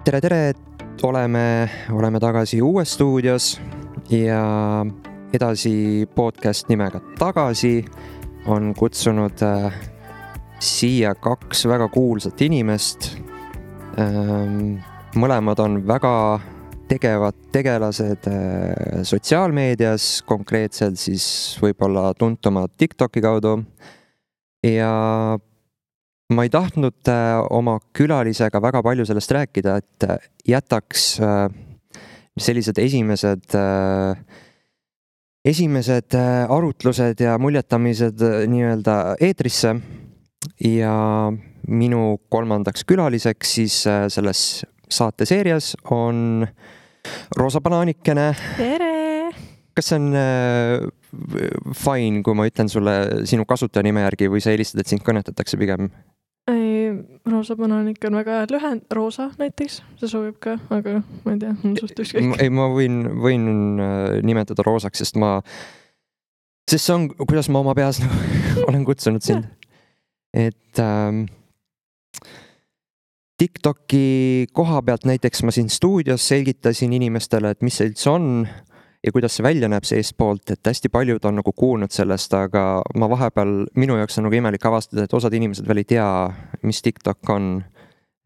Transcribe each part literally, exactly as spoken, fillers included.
tere, tere, oleme, oleme tagasi uues stuudios ja edasi podcast nimega Tagasi on kutsunud äh, siia kaks väga kuulsat inimest. Ähm, mõlemad on väga tegevad tegelased äh, sotsiaalmeedias, konkreetselt siis võib-olla tuntumad TikToki kaudu. Ja ma ei tahtnud äh, oma külalisega väga palju sellest rääkida, et äh, jätaks äh, sellised esimesed, äh, esimesed äh, arutlused ja muljetamised äh, nii-öelda eetrisse. Ja minu kolmandaks külaliseks siis äh, selles saateseerias on Roosa Banaanikene. Tere! Kas see on äh, fine, kui ma ütlen sulle sinu kasutajanime järgi või sa eelistad, et sind kõnetatakse pigem? Ei, Roosa Banaanik on väga hea lühend, Roosa näiteks, see sobib ka, aga ma ei tea, on suht ükskõik. Ei, ma võin, võin nimetada Roosaks, sest ma, sest see on, kuidas ma oma peas nagu olen kutsunud sind. Et ähm, TikToki koha pealt näiteks ma siin stuudios selgitasin inimestele, et mis see üldse on ja kuidas see välja näeb seest poolt, et hästi paljud on nagu kuulnud sellest, aga ma vahepeal, minu jaoks on nagu imelik avastada, et osad inimesed veel ei tea, mis TikTok on.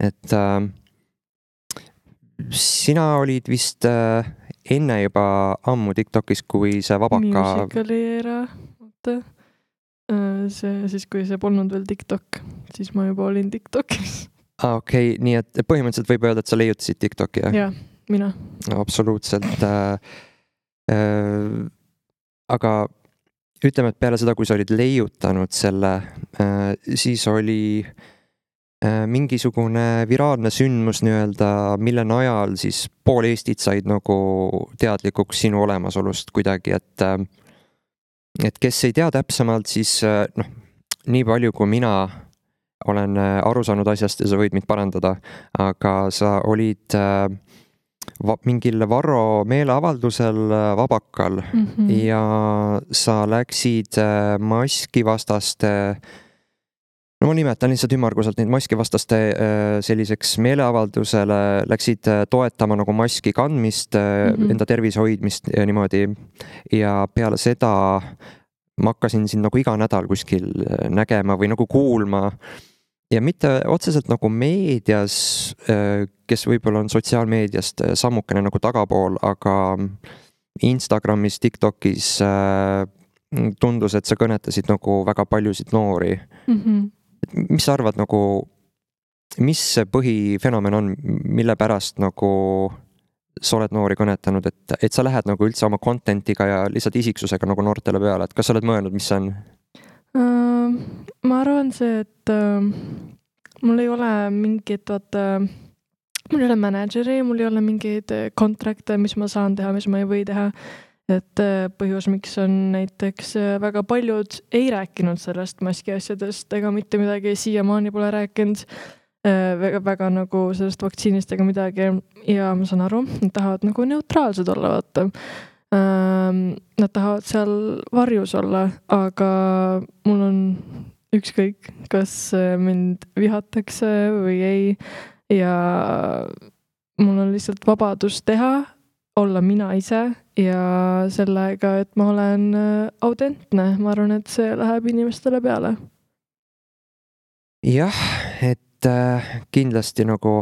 Et äh, sina olid vist äh, enne juba ammu TikTokis, kui see vabaka... Musicali era, oota. See, siis kui see polnud veel TikTok, siis ma juba olin TikTokis. Ah, okei, okay. Nii et põhimõtteliselt võib öelda, et sa leiutasid TikToki, jah? Jah, mina. Absoluutselt. Äh, äh, aga ütleme, et peale seda, kui sa olid leiutanud selle, äh, siis oli äh, mingisugune viraalne sündmus nii-öelda, mille najal siis pool Eestit said nagu teadlikuks sinu olemasolust kuidagi, et, äh, et kes ei tea täpsemalt, siis äh, noh, nii palju kui mina olen aru saanud asjast ja sa võid mind parandada, aga sa olid äh, va- mingil Varro meeleavaldusel Vabakal mm-hmm. ja sa läksid äh, maskivastaste, no ma nimetan lihtsalt ümmarguselt neid maskivastaste äh, selliseks meeleavaldusele, läksid äh, toetama nagu maski kandmist äh, mm-hmm. enda tervise hoidmist ja niimoodi. Ja peale seda ma hakkasin siin nagu iga nädal kuskil nägema või nagu kuulma. Ja mitte otseselt nagu meedias, kes võib-olla on sotsiaalmeediast sammukene nagu tagapool, aga Instagramis, TikTokis tundus, et sa kõnetasid nagu väga paljusid noori. Mm-hmm. Mis sa arvad nagu, mis see põhifenomen on, mille pärast nagu sa oled noori kõnetanud, et, et sa lähed nagu üldse oma contentiga ja lihtsalt isiksusega nagu noortele peale, et kas sa oled mõelnud, mis see on? Uh, ma arvan see, et uh, mul ei ole mingit, vaata, mul ei ole manageri, mul ei ole mingeid kontrakte, mis ma saan teha, mis ma ei või teha. Et uh, põhjus, miks on näiteks uh, väga paljud ei rääkinud sellest maski asjadest ega mitte midagi siiamaani pole rääkinud uh, väga, väga nagu sellest vaktsiinist ega midagi ja ma saan aru, nad tahavad nagu neutraalsed olla, vaata. Nad tahavad seal varjus olla, aga mul on ükskõik, kas mind vihatakse või ei ja mul on lihtsalt vabadus teha, olla mina ise ja sellega, et ma olen autentne. Ma arvan, et see läheb inimestele peale. Jah, et äh, kindlasti nagu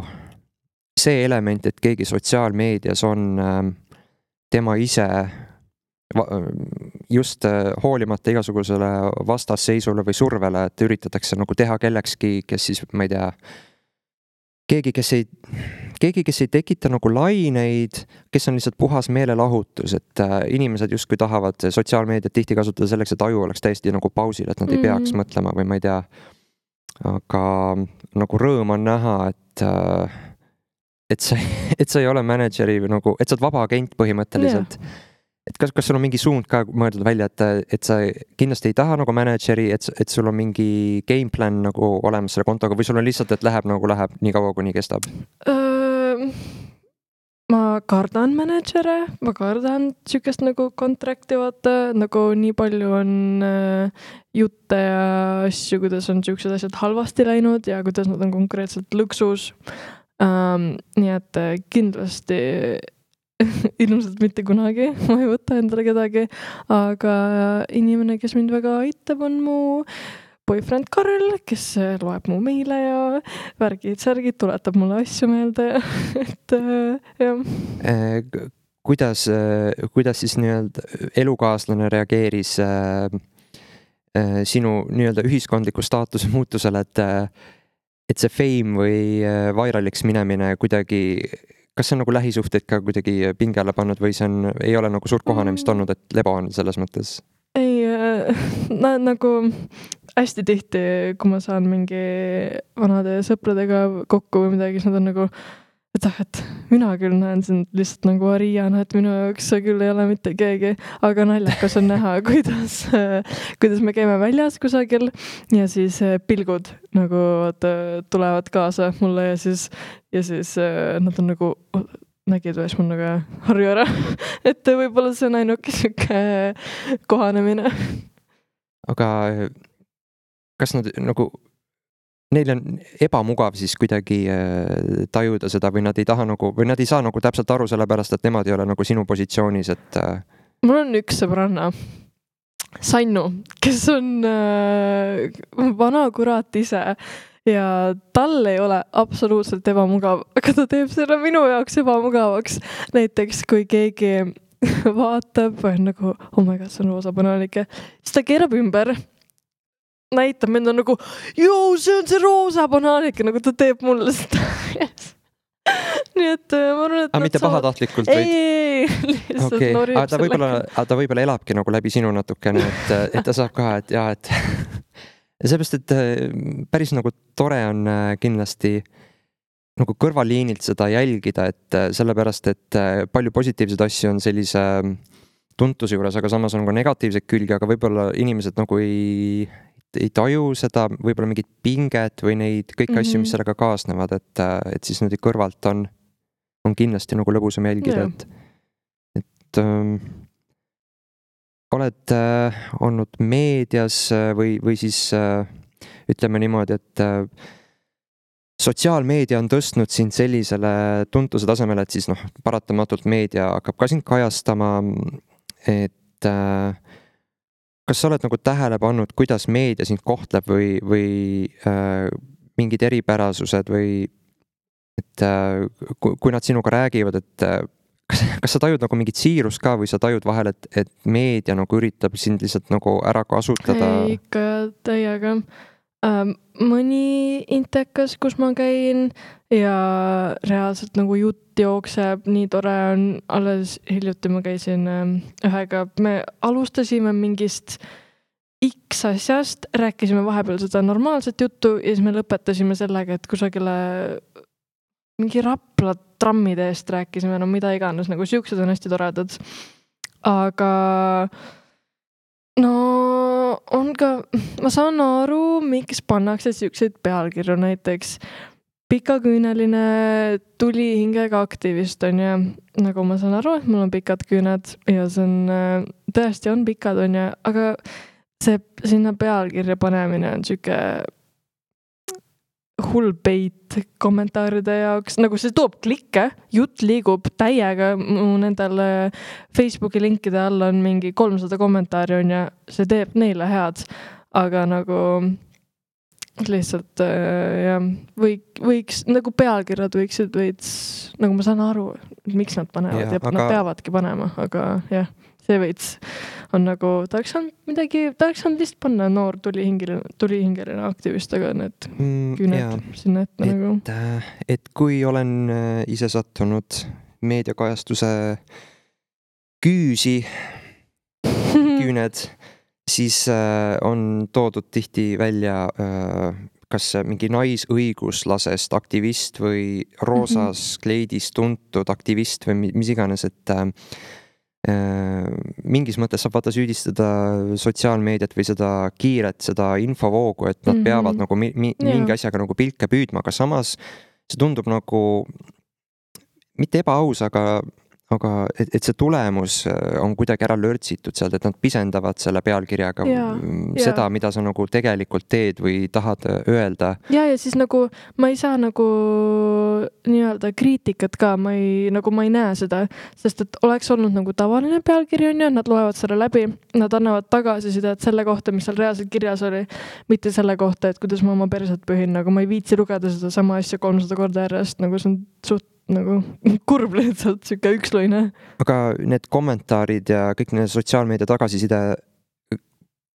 see element, et keegi sotsiaalmeedias on äh, tema ise just hoolimata igasugusele vastasseisule või survele, et üritatakse nagu teha kellekski, kes siis, ma ei tea, keegi, kes ei, keegi, kes ei tekita nagu laineid, kes on lihtsalt puhas meelelahutus, et inimesed just kui tahavad sotsiaalmeediat tihti kasutada selleks, et aju oleks täiesti nagu pausil, et nad ei peaks mm. mõtlema või ma ei tea. Aga nagu rõõm on näha, et et sa, et sa ei ole manageri või nagu, et sa oled vaba agent põhimõtteliselt. Yeah. Et kas, kas sul on mingi suund ka mõeldud välja, et, et sa kindlasti ei taha nagu manageri, et, et sul on mingi game plan nagu olemas selle kontoga või sul on lihtsalt, et läheb nagu läheb nii kaua, kuni kestab? Uh, ma kardan managere, ma kardan sükest nagu kontrakti vaata, nagu nii palju on uh, jutte ja asju, kuidas on sükesed asjad halvasti läinud ja kuidas nad on konkreetselt lõksus. um, nii et kindlasti ilmselt mitte kunagi ma ei võta endale kedagi, aga inimene, kes mind väga aitab, on mu boyfriend Karel, kes loeb mu meile ja värgid, särgid, tuletab mulle asju meelde, et jah. Kuidas, kuidas siis nii-öelda elukaaslane reageeris sinu nii-öelda ühiskondliku staatuse muutusele, et, et see fame või vairaliks minemine kuidagi, kas see on nagu lähisuhteid ka kuidagi pinge alla pannud või see on, ei ole nagu suurt kohanemist olnud, et lebo on selles mõttes? Ei, na, nagu hästi tihti, kui ma saan mingi vanade sõpradega kokku või midagi, siis nad on nagu, et ah, et mina küll näen sind lihtsalt nagu Ariana, et minu jaoks see küll ei ole mitte keegi, aga naljakas on näha, kuidas, kuidas me käime väljas kusagil ja siis pilgud nagu tulevad kaasa mulle ja siis, ja siis nad on nagu nägid või siis mul nagu harju ära, et võib-olla see on ainuke siuke kohanemine. Aga kas nad nagu neil on ebamugav siis kuidagi tajuda seda või nad ei taha nagu, või nad ei saa nagu täpselt aru sellepärast, et nemad ei ole nagu sinu positsioonis, et mul on üks sõbranna, Sannu, kes on äh, vana kurat ise ja tal ei ole absoluutselt ebamugav, aga ta teeb selle minu jaoks ebamugavaks. Näiteks kui keegi vaatab või nagu, oh my god, see on roosa banaalike, siis ta keerab ümber, näitab mind on nagu, joo, see on see roosa banaalike, nagu ta teeb mulle seda. Yes. Nii et ma arvan, et aga mitte saavad... pahatahtlikult? Ei, ei, ei, lihtsalt okay. Norib aga ta võib-olla, ta võib-olla elabki nagu läbi sinu natukene, et, et ta saab ka, et jah, et seepärast, et päris nagu tore on kindlasti nagu kõrvaliinilt seda jälgida, et sellepärast, et palju positiivseid asju on sellise tuntuse juures, aga samas on ka negatiivseid külgi, aga võib-olla inimesed nagu ei ei taju seda, võib-olla mingit pinget või neid kõiki mm-hmm. asju, mis sellega kaasnevad, et, et siis nüüd kõrvalt on, on kindlasti nagu lõbusam jälgida, et, et ähm, oled äh, olnud meedias või, või siis äh, ütleme niimoodi, et äh, sotsiaalmeedia on tõstnud sind sellisele tuntuse tasemele, et siis noh, paratamatult meedia hakkab ka sind kajastama, et äh, kas sa oled nagu tähele pannud, kuidas meedia sind kohtleb või, või äh, mingid eripärasused või et äh, kui, kui nad sinuga räägivad, et äh, kas, kas sa tajud nagu mingit siirust ka või sa tajud vahel, et, et meedia nagu üritab sind lihtsalt nagu ära kasutada? Ei, ikka täiega. Ähm, mõni intekas, kus ma käin ja reaalselt nagu jutt jookseb, nii tore on, alles hiljuti ma käisin ähm, ühega, me alustasime mingist X asjast, rääkisime vahepeal seda normaalset juttu ja siis me lõpetasime sellega, et kusagile mingi Rapla trammide eest rääkisime, no mida iganes, nagu siuksed on hästi toredad. Aga no on ka, ma saan aru, miks pannakse siukseid pealkirju, näiteks pikaküüneline tulihingega aktivist on ja nagu ma saan aru, et mul on pikad küüned ja see on, tõesti on pikad on ja, aga see sinna pealkirja panemine on siuke hull peit kommentaaride jaoks, nagu see toob klikke, jutt liigub täiega, mu nendel Facebooki linkide all on mingi kolmsada kommentaari on ja see teeb neile head, aga nagu lihtsalt jah, või, võiks, nagu pealkirjad võiksid veits, nagu ma saan aru, miks nad panevad ja, ja aga... nad peavadki panema, aga jah, see veits on nagu, tahaks on midagi, tahaks on lihtsalt panna noor tulihingeline, tulihingeline aktivist, aga need mm, küüned sinna ette et, nagu. Et kui olen ise sattunud meediakajastuse küüsi, küüned, siis on toodud tihti välja kas mingi naisõiguslasest aktivist või roosas kleidis tuntud aktivist või mis iganes, et mingis mõttes saab vaata süüdistada sotsiaalmeediat või seda kiiret, seda infovoogu, et nad mm-hmm. peavad nagu mi- mi- mingi asjaga nagu pilke püüdma, aga samas see tundub nagu mitte ebaaus, aga, aga et, et see tulemus on kuidagi ära lörtsitud sealt, et nad pisendavad selle pealkirjaga Jaa, seda, jaa. mida sa nagu tegelikult teed või tahad öelda. Ja, ja siis nagu ma ei saa nagu nii-öelda kriitikat ka, ma ei, nagu ma ei näe seda, sest et oleks olnud nagu tavaline pealkiri on ja nad loevad selle läbi, nad annavad tagasisidet selle kohta, mis seal reaalselt kirjas oli, mitte selle kohta, et kuidas ma oma perset pühin, nagu ma ei viitsi lugeda seda sama asja kolmsada korda järjest, nagu see on suht nagu kurb lihtsalt, siuke üksluine. Aga need kommentaarid ja kõik need sotsiaalmeedia tagasiside,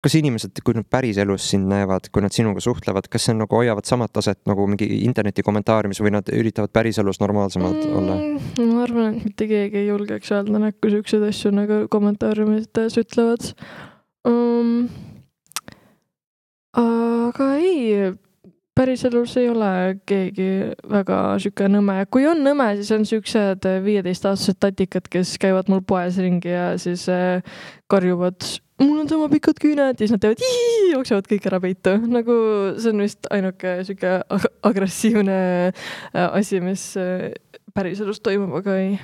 kas inimesed, kui nad päris elus sind näevad, kui nad sinuga suhtlevad, kas see nagu hoiavad samat taset nagu mingi interneti kommentaariumis või nad üritavad päris elus normaalsemad mm, olla? Ma arvan, et mitte keegi ei julgeks öelda näkku siukseid asju nagu kommentaariumites ütlevad. Um, aga ei, päris elus ei ole keegi väga siuke nõme. Kui on nõme, siis on siuksed viieteist-aastased tatikad, kes käivad mul poes ringi ja siis karjuvad, mul on sama pikad küüned, ja siis nad teevad ii, jooksevad kõik ära peitu. Nagu see on vist ainuke siuke agressiivne asi, mis päris elus toimub, aga ei.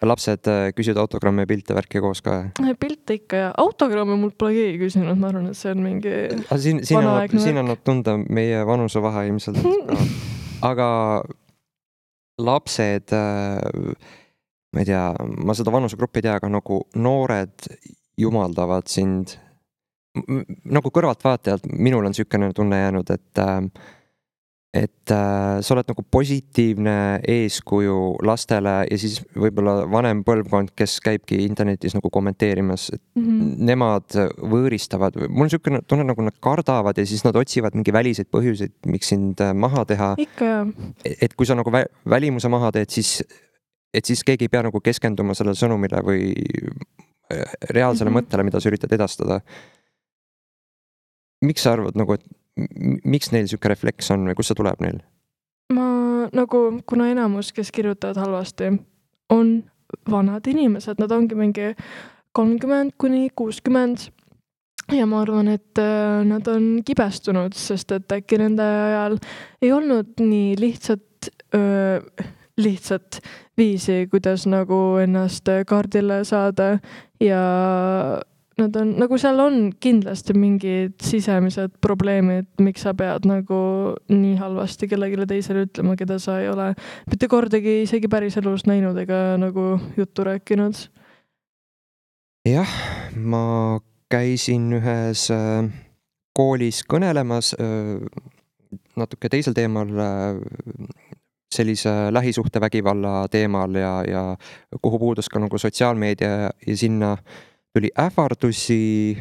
Lapsed küsivad autogramme ja pilte värki koos ka? Pilte ikka ja autogramme mul pole keegi küsinud, ma arvan, et see on mingi siin, siin, annab, siin annab tunda meie vanuse vahe ilmselt. Aga lapsed, ma ei tea, ma seda vanusegruppi ei tea, aga nagu noored jumaldavad sind. Nagu kõrvaltvaatajalt minul on sükene tunne jäänud, et et äh, sa oled nagu positiivne eeskuju lastele ja siis võib-olla vanem põlvkond, kes käibki internetis nagu kommenteerimas, et mm-hmm. nemad võõristavad, mul on sükene tunne nagu nad kardavad ja siis nad otsivad mingi väliseid põhjuseid, miks sind maha teha. Ikka jah. Et kui sa nagu vä- välimuse maha teed, siis et siis keegi ei pea nagu keskenduma sellele sõnumile või reaalsele mm-hmm. mõttele, mida sa üritad edastada. Miks sa arvad nagu, et miks neil siuke refleks on või kus see tuleb neil? Ma nagu, kuna enamus, kes kirjutavad halvasti, on vanad inimesed, nad ongi mingi kolmkümmend kuni kuuskümmend ja ma arvan, et nad on kibestunud, sest et äkki nende ajal ei olnud nii lihtsat, öö, lihtsat viisi, kuidas nagu ennast kaardile saada ja nad on, nagu seal on kindlasti mingid sisemised probleemid, miks sa pead nagu nii halvasti kellegile teisele ütlema, keda sa ei ole mitte kordagi isegi päris elus näinud ega nagu juttu rääkinud. Jah, ma käisin ühes koolis kõnelemas natuke teisel teemal, sellise lähisuhtevägivalla teemal ja, ja kuhu puudus ka nagu sotsiaalmeedia ja sinna tuli ähvardusi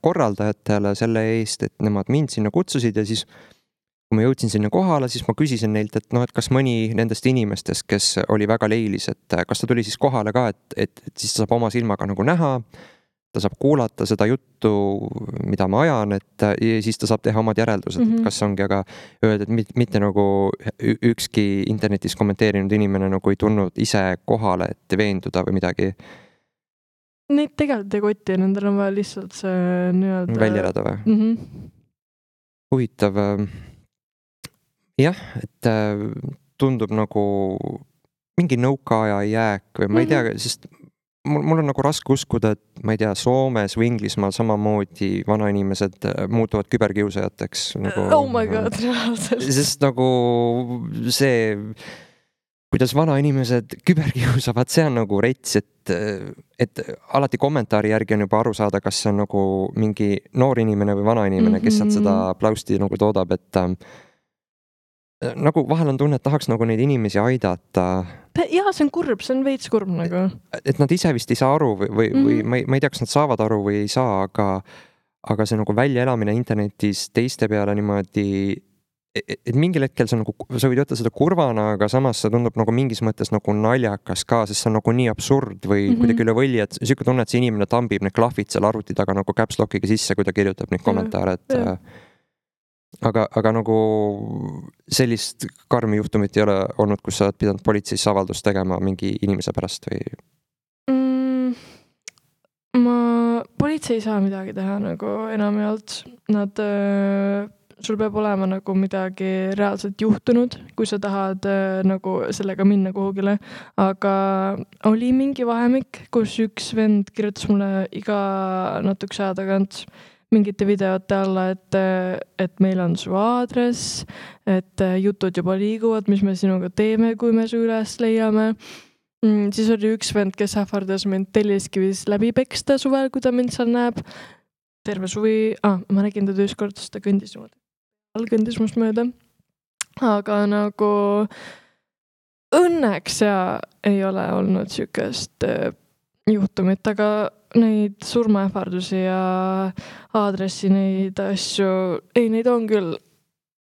korraldajatele selle eest, et nemad mind sinna kutsusid ja siis kui ma jõudsin sinna kohale, siis ma küsisin neilt, et noh, et kas mõni nendest inimestest, kes oli väga leilis, et kas ta tuli siis kohale ka, et, et, et siis ta saab oma silmaga nagu näha, ta saab kuulata seda juttu, mida ma ajan, et ja siis ta saab teha omad järeldused, mm-hmm. et kas ongi, aga öelda, et mitte, mitte nagu ükski internetis kommenteerinud inimene nagu ei tulnud ise kohale, et veenduda või midagi. Neid tegelikult ei kotti, nendel on vaja lihtsalt see nii-öelda... välja elada või? Mm-hmm. Huvitav. Jah, et tundub nagu mingi nõukaaja jääk või ma ei tea, mm-hmm. sest mul, mul on nagu raske uskuda, et ma ei tea, Soomes või Inglismaal samamoodi vanainimesed muutuvad küberkiusajateks. Nagu, oh my god, reaalselt. Sest nagu see... kuidas vanainimesed küberkiusavad, see on nagu rets, et, et alati kommentaari järgi on juba aru saada, kas see on nagu mingi noor inimene või vana inimene, mm-hmm. kes sealt seda plausti nagu toodab, et äh, nagu vahel on tunne, et tahaks nagu neid inimesi aidata. Jaa, see on kurb, see on veits kurb nagu. Et nad ise vist ei saa aru või, või, mm-hmm. või ma ei, ma ei tea, kas nad saavad aru või ei saa, aga, aga see nagu väljaelamine internetis teiste peale niimoodi et mingil hetkel sa nagu, sa võid võtta seda kurvana, aga samas see tundub nagu mingis mõttes nagu naljakas ka, sest see on nagu nii absurd või mm-hmm. kuidagi üle võlli, et siuke tunne, et see inimene tambib need klahvid seal arvuti taga nagu caps lockiga sisse, kui ta kirjutab neid kommentaare, et ja. aga, aga nagu sellist karmi juhtumit ei ole olnud, kus sa oled pidanud politseis avaldust tegema mingi inimese pärast või? Mm, ma, politsei ei saa midagi teha nagu enamjaolt. Nad sul peab olema nagu midagi reaalselt juhtunud, kui sa tahad äh, nagu sellega minna kuhugile, aga oli mingi vahemik, kus üks vend kirjutas mulle iga natukese aja tagant mingite videote alla, et, et meil on su aadress, et jutud juba liiguvad, mis me sinuga teeme, kui me su üles leiame. Mm, siis oli üks vend, kes ähvardas mind Telliskivis läbi peksta suvel, kui ta mind seal näeb. Terve suvi, ah, ma nägin teda üks kord, ta kõndis niimoodi. All kõndis must mööda. Aga nagu õnneks ja ei ole olnud sükest juhtumit, aga neid surmaähvardusi ja aadressi neid asju, ei, neid on küll.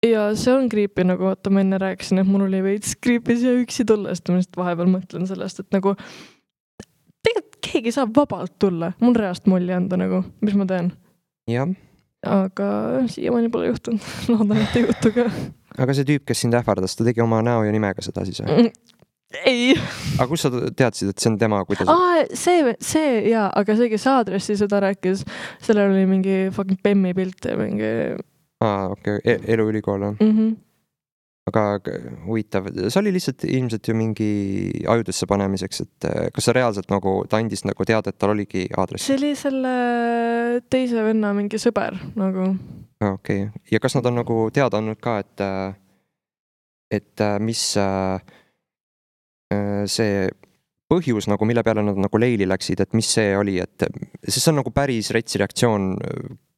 Ja see on creepy, nagu vaata ma enne rääkisin, et mul oli veits creepy siia üksi tulla, sest ma lihtsalt vahepeal mõtlen sellest, et nagu tegelikult keegi saab vabalt tulla, mul reast molli anda nagu, mis ma teen. Jah. Aga siiamaani pole juhtunud, loodan, et ei juhtu ka. Aga see tüüp, kes sind ähvardas, ta tegi oma näo ja nimega seda siis? Ei. Aga kus sa teadsid, et see on tema? Kuidas... Aa, see, see, jaa, aga see, kes aadressi seda rääkis, sellel oli mingi fucking Bemmi pilt ja mingi... Aa, okei, okay. E eluülikool on. Mm-hmm. Aga huvitav, see oli lihtsalt ilmselt ju mingi ajudesse panemiseks, et kas sa reaalselt nagu, ta andis nagu teada, et tal oligi aadress? See oli selle teise venna mingi sõber nagu. Okei, okay. Ja kas nad on nagu teada andnud ka, et et mis see põhjus nagu, mille peale nad nagu leili läksid, et mis see oli, et see on nagu päris retsi reaktsioon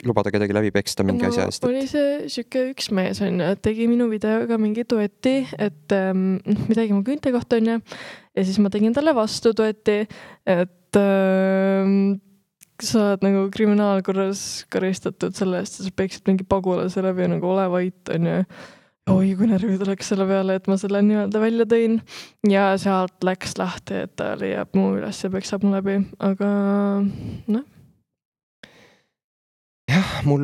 lubada kedagi läbi peksta mingi no, asja eest. Oli see siuke üks mees on, tegi minu videoga mingi duetti, et ähm, midagi mu küünte kohta on ja, ja siis ma tegin talle vastu duetti, et ähm, sa oled nagu kriminaalkorras karistatud selle eest, sa peksid mingi pagulase läbi ja nagu ole vait on ja oi, kui närvid oleks selle peale, et ma selle nii-öelda välja tõin ja sealt läks lahti, et ta leiab mu üles ja peksab mu läbi, aga noh. Jah, mul,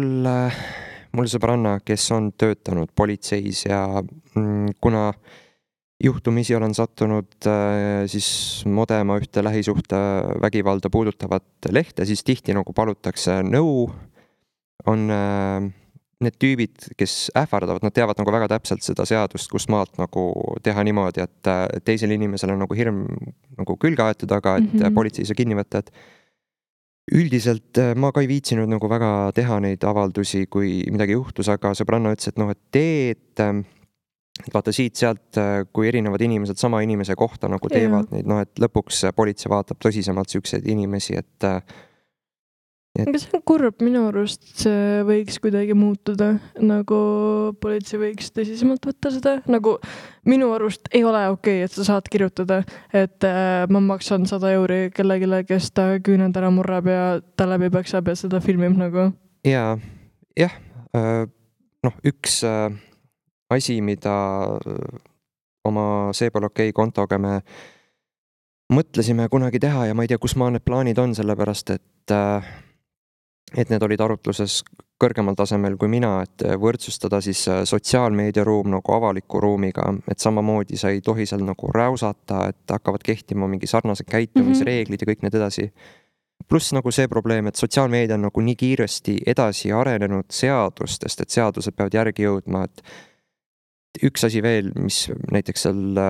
mul sõbranna, kes on töötanud politseis ja mm, kuna juhtumisi olen sattunud äh, siis modema ühte lähisuhte vägivalda puudutavat lehte, siis tihti nagu palutakse nõu, on äh, need tüübid, kes ähvardavad, nad teavad nagu väga täpselt seda seadust, kust maalt nagu teha niimoodi, et teisel inimesel on nagu hirm nagu külge aetud, aga et mm-hmm. politsei ei saa kinni võtta, et üldiselt ma ka ei viitsinud nagu väga teha neid avaldusi, kui midagi juhtus, aga sõbranna ütles, et noh, et tee, et vaata siit sealt, kui erinevad inimesed sama inimese kohta nagu teevad yeah. neid, noh, et lõpuks politsei vaatab tõsisemalt sükseid inimesi, et Et... aga see on kurb, minu arust see võiks kuidagi muutuda, nagu politsei võiks tõsisemalt võtta seda, nagu minu arust ei ole okei, et sa saad kirjutada, et äh, ma maksan sada euri kellegile, kes ta küüned ära murrab ja ta läbi peksab ja seda filmib nagu. Ja, jah, äh, noh, üks äh, asi, mida oma see pole okei kontoga me mõtlesime kunagi teha ja ma ei tea, kus maa need plaanid on, sellepärast et äh, et need olid arutluses kõrgemal tasemel kui mina, et võrdsustada siis sotsiaalmeediaruum nagu avaliku ruumiga, et samamoodi sa ei tohi seal nagu räusata, et hakkavad kehtima mingi sarnased käitumisreeglid ja kõik need edasi. Pluss nagu see probleem, et sotsiaalmeedia on nagu nii kiiresti edasi arenenud seadustest, et seadused peavad järgi jõudma, et üks asi veel, mis näiteks seal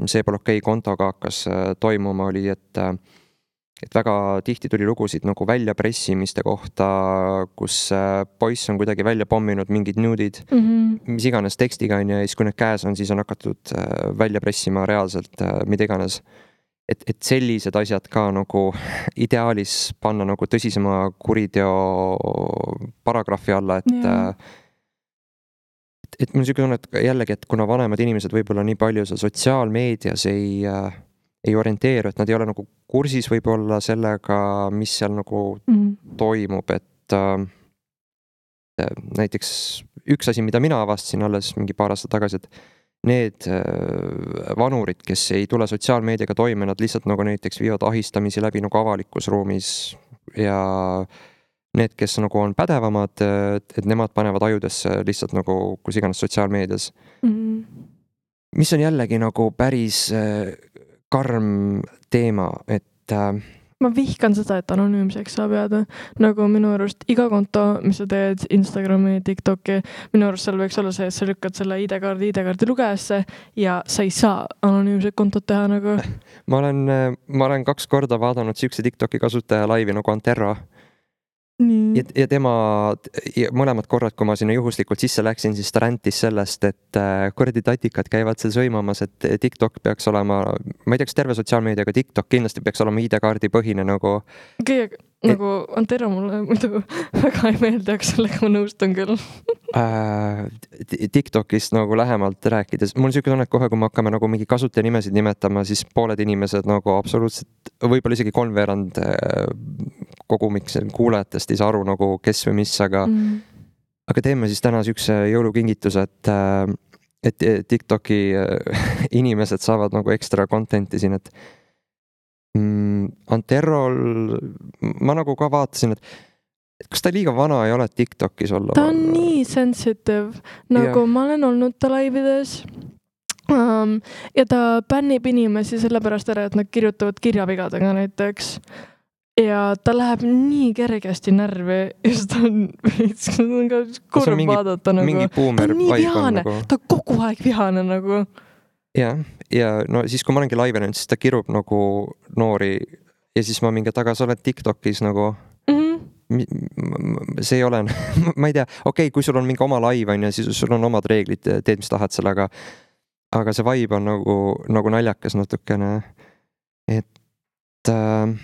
see pole okei kontoga hakkas toimuma, oli, et et väga tihti tuli lugusid nagu väljapressimiste kohta, kus poiss on kuidagi välja pomminud mingid nuudid, mm-hmm. mis iganes tekstiga on ja siis kui need käes on, siis on hakatud välja pressima reaalselt mida iganes. Et, et sellised asjad ka nagu ideaalis panna nagu tõsisema kuriteo paragrahvi alla, et yeah. et, et mul niisugune tunne, et jällegi, et kuna vanemad inimesed võib-olla nii palju seal sotsiaalmeedias ei ei orienteeru, et nad ei ole nagu kursis võib-olla sellega, mis seal nagu mm. toimub, et äh, näiteks üks asi, mida mina avastasin alles mingi paar aastat tagasi, et need äh, vanurid, kes ei tule sotsiaalmeediaga toime, nad lihtsalt nagu näiteks viivad ahistamisi läbi nagu avalikus ruumis ja need, kes nagu on pädevamad, et, et nemad panevad ajudesse lihtsalt nagu kus iganes sotsiaalmeedias. Mm. Mis on jällegi nagu päris äh, karm teema, et äh, ma vihkan seda, et anonüümseks saab jääda. Nagu minu arust iga konto, mis sa teed Instagrami, TikToki, minu arust seal võiks olla see, et sa lükkad selle I D-kaardi I D-kaardi lugejasse ja sa ei saa anonüümset kontot teha nagu. Ma olen, ma olen kaks korda vaadanud siukse TikToki kasutaja laivi nagu Antero. Ja, ja tema ja mõlemad korrad, kui ma sinna juhuslikult sisse läksin, siis ta räntis sellest, et kuradi tatikad käivad seal sõimamas, et TikTok peaks olema, ma ei tea, kas terve sotsiaalmeedia, aga TikTok kindlasti peaks olema I D-kaardi põhine nagu. Okay, et, nagu Antero mulle muidu väga ei meeldi, aga sellega ma nõustun küll. äh, TikTokist nagu lähemalt rääkides, mul on siuke tunne, et kohe, kui me hakkame nagu mingi kasutaja nimesid nimetama, siis pooled inimesed nagu absoluutselt, võib-olla isegi kolmveerand kogumiks kuulajatest ei saa aru nagu kes või mis, aga mm. aga teeme siis täna siukse jõulukingituse, et et TikToki inimesed saavad nagu ekstra content'i siin, et mm, Anterol ma nagu ka vaatasin, et et kas ta liiga vana ei ole TikTokis olla? Ta on nii sensitive, nagu ja. Ma olen olnud ta laivides um, ja ta bännib inimesi sellepärast ära, et nad kirjutavad kirjavigadega näiteks. Ja ta läheb nii kergesti närvi ja seda on, on ka kurb mingi, vaadata nagu. Mingi boomer ta on nii vihane, nagu. Ta kogu aeg vihane nagu. Ja, ja no siis kui ma olengi laivenud, siis ta kirub nagu noori ja siis ma mingi taga, sa oled TikTokis nagu mm-hmm. see ei ole, ma ei tea, okei okay,, kui sul on mingi oma live on ja siis sul on omad reeglid, teed mis tahad selle, aga aga see vibe on nagu, nagu naljakas natukene, et äh,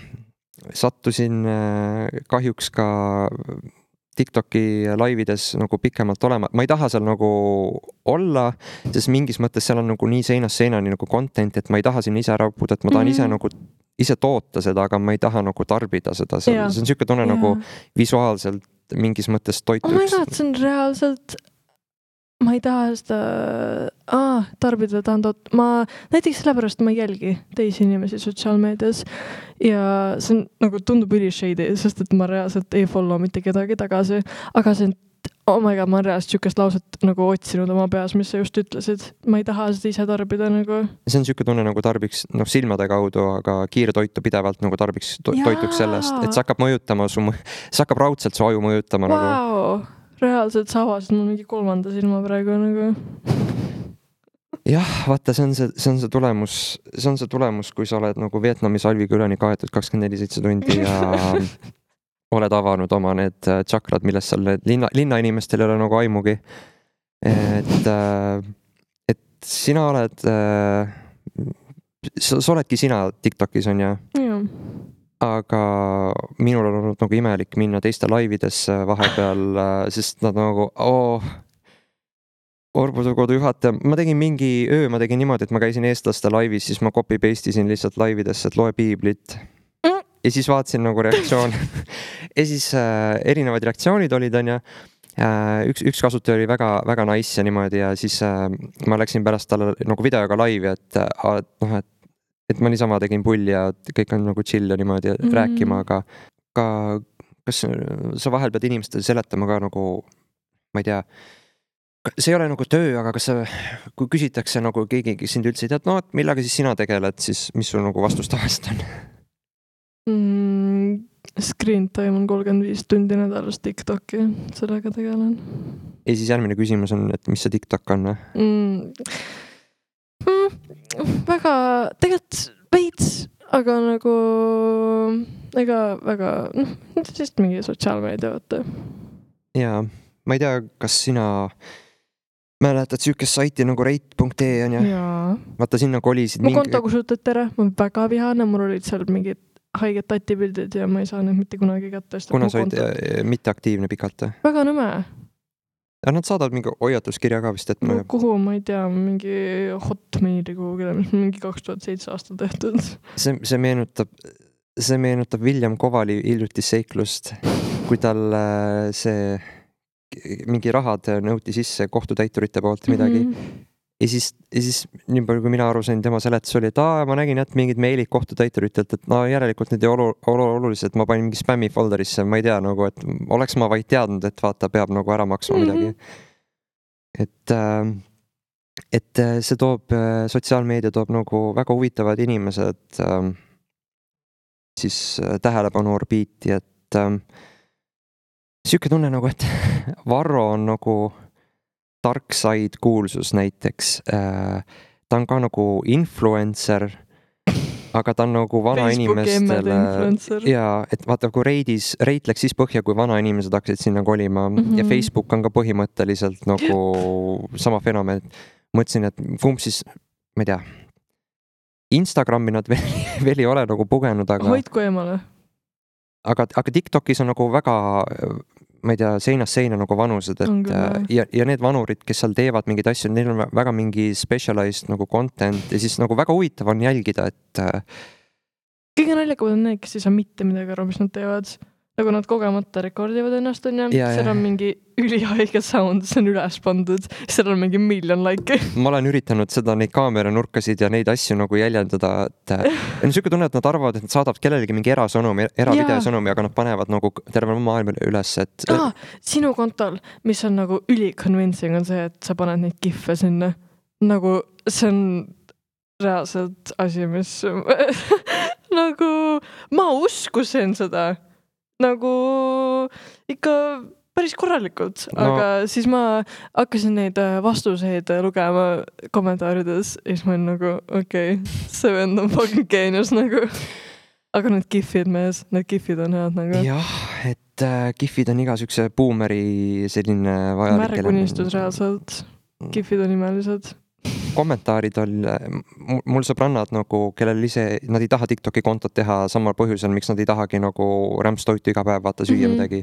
sattusin kahjuks ka TikToki laivides nagu pikemalt olema. Ma ei taha seal nagu olla, sest mingis mõttes seal on nagu nii seinast seinani nagu content, et ma ei taha sinna ise ära õppuda, et ma tahan mm-hmm. ise nagu ise toota seda, aga ma ei taha nagu tarbida seda. See, see on siuke tunne ja. Nagu visuaalselt mingis mõttes toituks. Oh my god, see on reaalselt ma ei taha seda ah, tarbida tahan toot. Ma näiteks sellepärast ma ei jälgi teisi inimesi sotsiaalmeedias ja see on, nagu tundub üli shady, sest et ma reaalselt ei follow mitte kedagi tagasi, aga see on, oh my god, ma reaalselt siukest lauset nagu otsinud oma peas, mis sa just ütlesid. Ma ei taha seda ise tarbida nagu. See on siuke tunne nagu tarbiks noh, silmade kaudu, aga kiirtoitu pidevalt nagu tarbiks to- toituks sellest, et see hakkab mõjutama su, see hakkab raudselt su aju mõjutama wow. nagu. Reaalselt sa avasid mul mingi kolmanda silma praegu nagu. Jah, vaata, see on see, see on see tulemus, see on see tulemus, kui sa oled nagu Vietnami salvikülani kaetud kakskümmend neli seitse tundi ja oled avanud oma need tšakrad, millest seal need linna, linnainimestel ei ole nagu aimugi. Et, et sina oled, sa, sa oledki sina TikTokis on ja? Jah. Aga minul on olnud nagu imelik minna teiste laividesse vahepeal, sest nad nagu, oh, Orbudukodu juhataja, ma tegin mingi öö, ma tegin niimoodi, et ma käisin eestlaste laivis, siis ma copy-pastisin lihtsalt laividesse, et loe piiblit. Ja siis vaatasin nagu reaktsioon. Ja siis äh, erinevad reaktsioonid olid, on ja äh, üks, üks kasutaja oli väga, väga nice ja niimoodi ja siis äh, ma läksin pärast talle nagu videoga laivi, et, et noh, et et ma niisama tegin pulli ja kõik on nagu chill ja niimoodi mm-hmm. rääkima, aga ka, kas sa vahel pead inimestele seletama ka nagu, ma ei tea, see ei ole nagu töö, aga kas sa, kui küsitakse nagu keegi, kes sind üldse ei tead, no et millega siis sina tegeled, siis mis sul nagu vastus tavaliselt on? Mm, screen time on kolmkümmend viis tundi nädalas TikToki, sellega tegelen. Ja siis järgmine küsimus on, et mis see TikTok on? Mm. Mm, väga, tegelikult veits, aga nagu ega väga, noh, siis mingi sotsiaalmeedia võtta. Jaa, ma ei tea, kas sina mäletad siukest saiti nagu rate punkt ee on ja? Jaa. Vaata, sinna kolisid. Mu konto kusutad tere, ma väga vihane, mul olid seal mingid haiged tatipildid ja ma ei saa neid mitte kunagi kätte. Kuna sa olid mitteaktiivne pikalt? Väga nõme. Ja nad saadavad mingi hoiatuskirja ka vist, et ma... No, kuhu, ma ei tea, mingi hotmaili kuhugile, mis mingi kaks tuhat seitse aastal tehtud. See, see meenutab, see meenutab William Kovali hiljuti seiklust, kui tal see mingi rahad nõuti sisse kohtutäiturite poolt midagi. Mm-hmm. Ja siis, ja siis nii palju, kui mina aru sain, tema seletus oli, et aa, ma nägin, et mingid meilid kohtutäituritelt, et no järelikult need ei olu, olu, olulised, ma panin mingi spammi folderisse, ma ei tea nagu, et oleks ma vaid teadnud, et vaata, peab nagu ära maksma midagi. Mm-hmm. Et, et see toob, sotsiaalmeedia toob nagu väga huvitavad inimesed siis tähelepanu orbiiti, et ähm, siuke tunne nagu, et Varro on nagu tark said kuulsus näiteks äh,. ta on ka nagu influencer, aga ta on nagu vanainimestele ja et vaata, kui Reidis, Reit läks siis põhja, kui vanainimesed hakkasid sinna kolima mm -hmm. ja Facebook on ka põhimõtteliselt nagu sama fenomen. Mõtlesin, et kumb siis, ma ei tea, Instagrami nad veel, veel ei ole nagu pugenud, aga hoidku eemale. Aga, aga TikTokis on nagu väga, ma ei tea, seinast seina nagu vanused, et ja, ja need vanurid, kes seal teevad mingeid asju, neil on väga mingi specialized nagu content ja siis nagu väga huvitav on jälgida, et kõige naljakamad on need, kes ei saa mitte midagi aru, mis nad teevad. Nagu nad kogemata rekordivad ennast, on ja, ja seal on mingi ülihaige sound, see on üles pandud, seal on mingi miljon like. Ma olen üritanud seda, neid kaameranurkasid ja neid asju nagu jäljendada, et on siuke tunne, et nad arvavad, et nad saadavad kellelegi mingi erasõnumi, eravideosõnumi, aga nad panevad nagu terve maailma üles, et ah, sinu kontol, mis on nagu üli-convincing on see, et sa paned neid giffe sinna. Nagu see on reaalselt asi, mis nagu ma uskusin seda nagu ikka päris korralikult, no. Aga siis ma hakkasin neid vastuseid lugema kommentaarides ja siis ma olin nagu okei, okay, see vend on fucking genius nagu. Aga need gifid mees, need gifid on head nagu. Jah, et äh, gifid on iga sükse boomeri selline vajalik. Märgunistus reaalselt. Gifid on imelised. Kommentaarid on, mul sõbrannad nagu, kellel ise, nad ei taha TikToki kontot teha samal põhjusel, miks nad ei tahagi nagu rämpstoitu iga päev vaata süüa mm -hmm. midagi.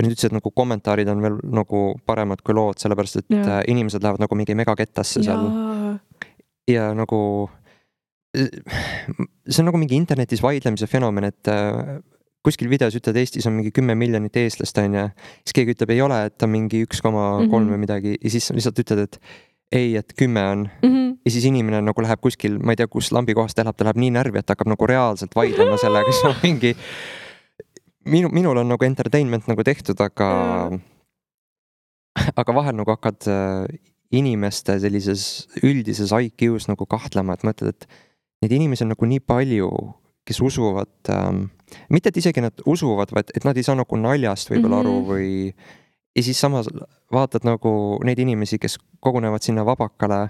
Nüüd ütlesid, et nagu kommentaarid on veel nagu paremad kui lood, sellepärast et ja. Inimesed lähevad nagu mingi megakettasse seal. Ja nagu see on nagu mingi internetis vaidlemise fenomen, et kuskil videos ütled, Eestis on mingi kümme miljonit eestlast, on ja siis keegi ütleb, ei ole, et on mingi üks koma kolm või midagi ja siis lihtsalt ütled, et ei, et kümme on mm -hmm. ja siis inimene nagu läheb kuskil, ma ei tea, kus lambi kohast elab, ta läheb nii närvi, et hakkab nagu reaalselt vaidlema sellega, kes on mingi minu, minul on nagu entertainment nagu tehtud, aga mm. aga vahel nagu hakkad inimeste sellises üldises I Q-s nagu kahtlema, et mõtled, et neid inimesi on nagu nii palju, kes usuvad ähm, mitte, et isegi nad usuvad, vaid et nad ei saa nagu naljast võib-olla mm -hmm. aru või ja siis samas vaatad nagu neid inimesi, kes kogunevad sinna vabakale,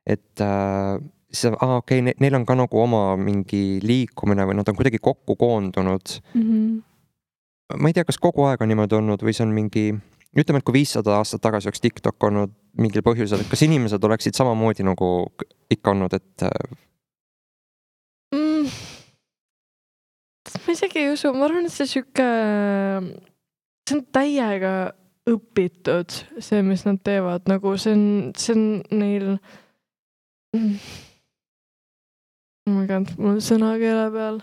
et äh, see, ah, okei, okay, neil on ka nagu oma mingi liikumine või nad on kuidagi kokku koondunud. Mm -hmm. Ma ei tea, kas kogu aeg on niimoodi olnud või see on mingi, ütleme, et kui viissada aastat tagasi oleks TikTok olnud mingil põhjusel, et kas inimesed oleksid samamoodi nagu ikka olnud, et mm. ma isegi ei usu, ma arvan, et see siuke, see on täiega õpitud, see, mis nad teevad, nagu see on, see on neil mm. oh my god, mul on sõna keele peal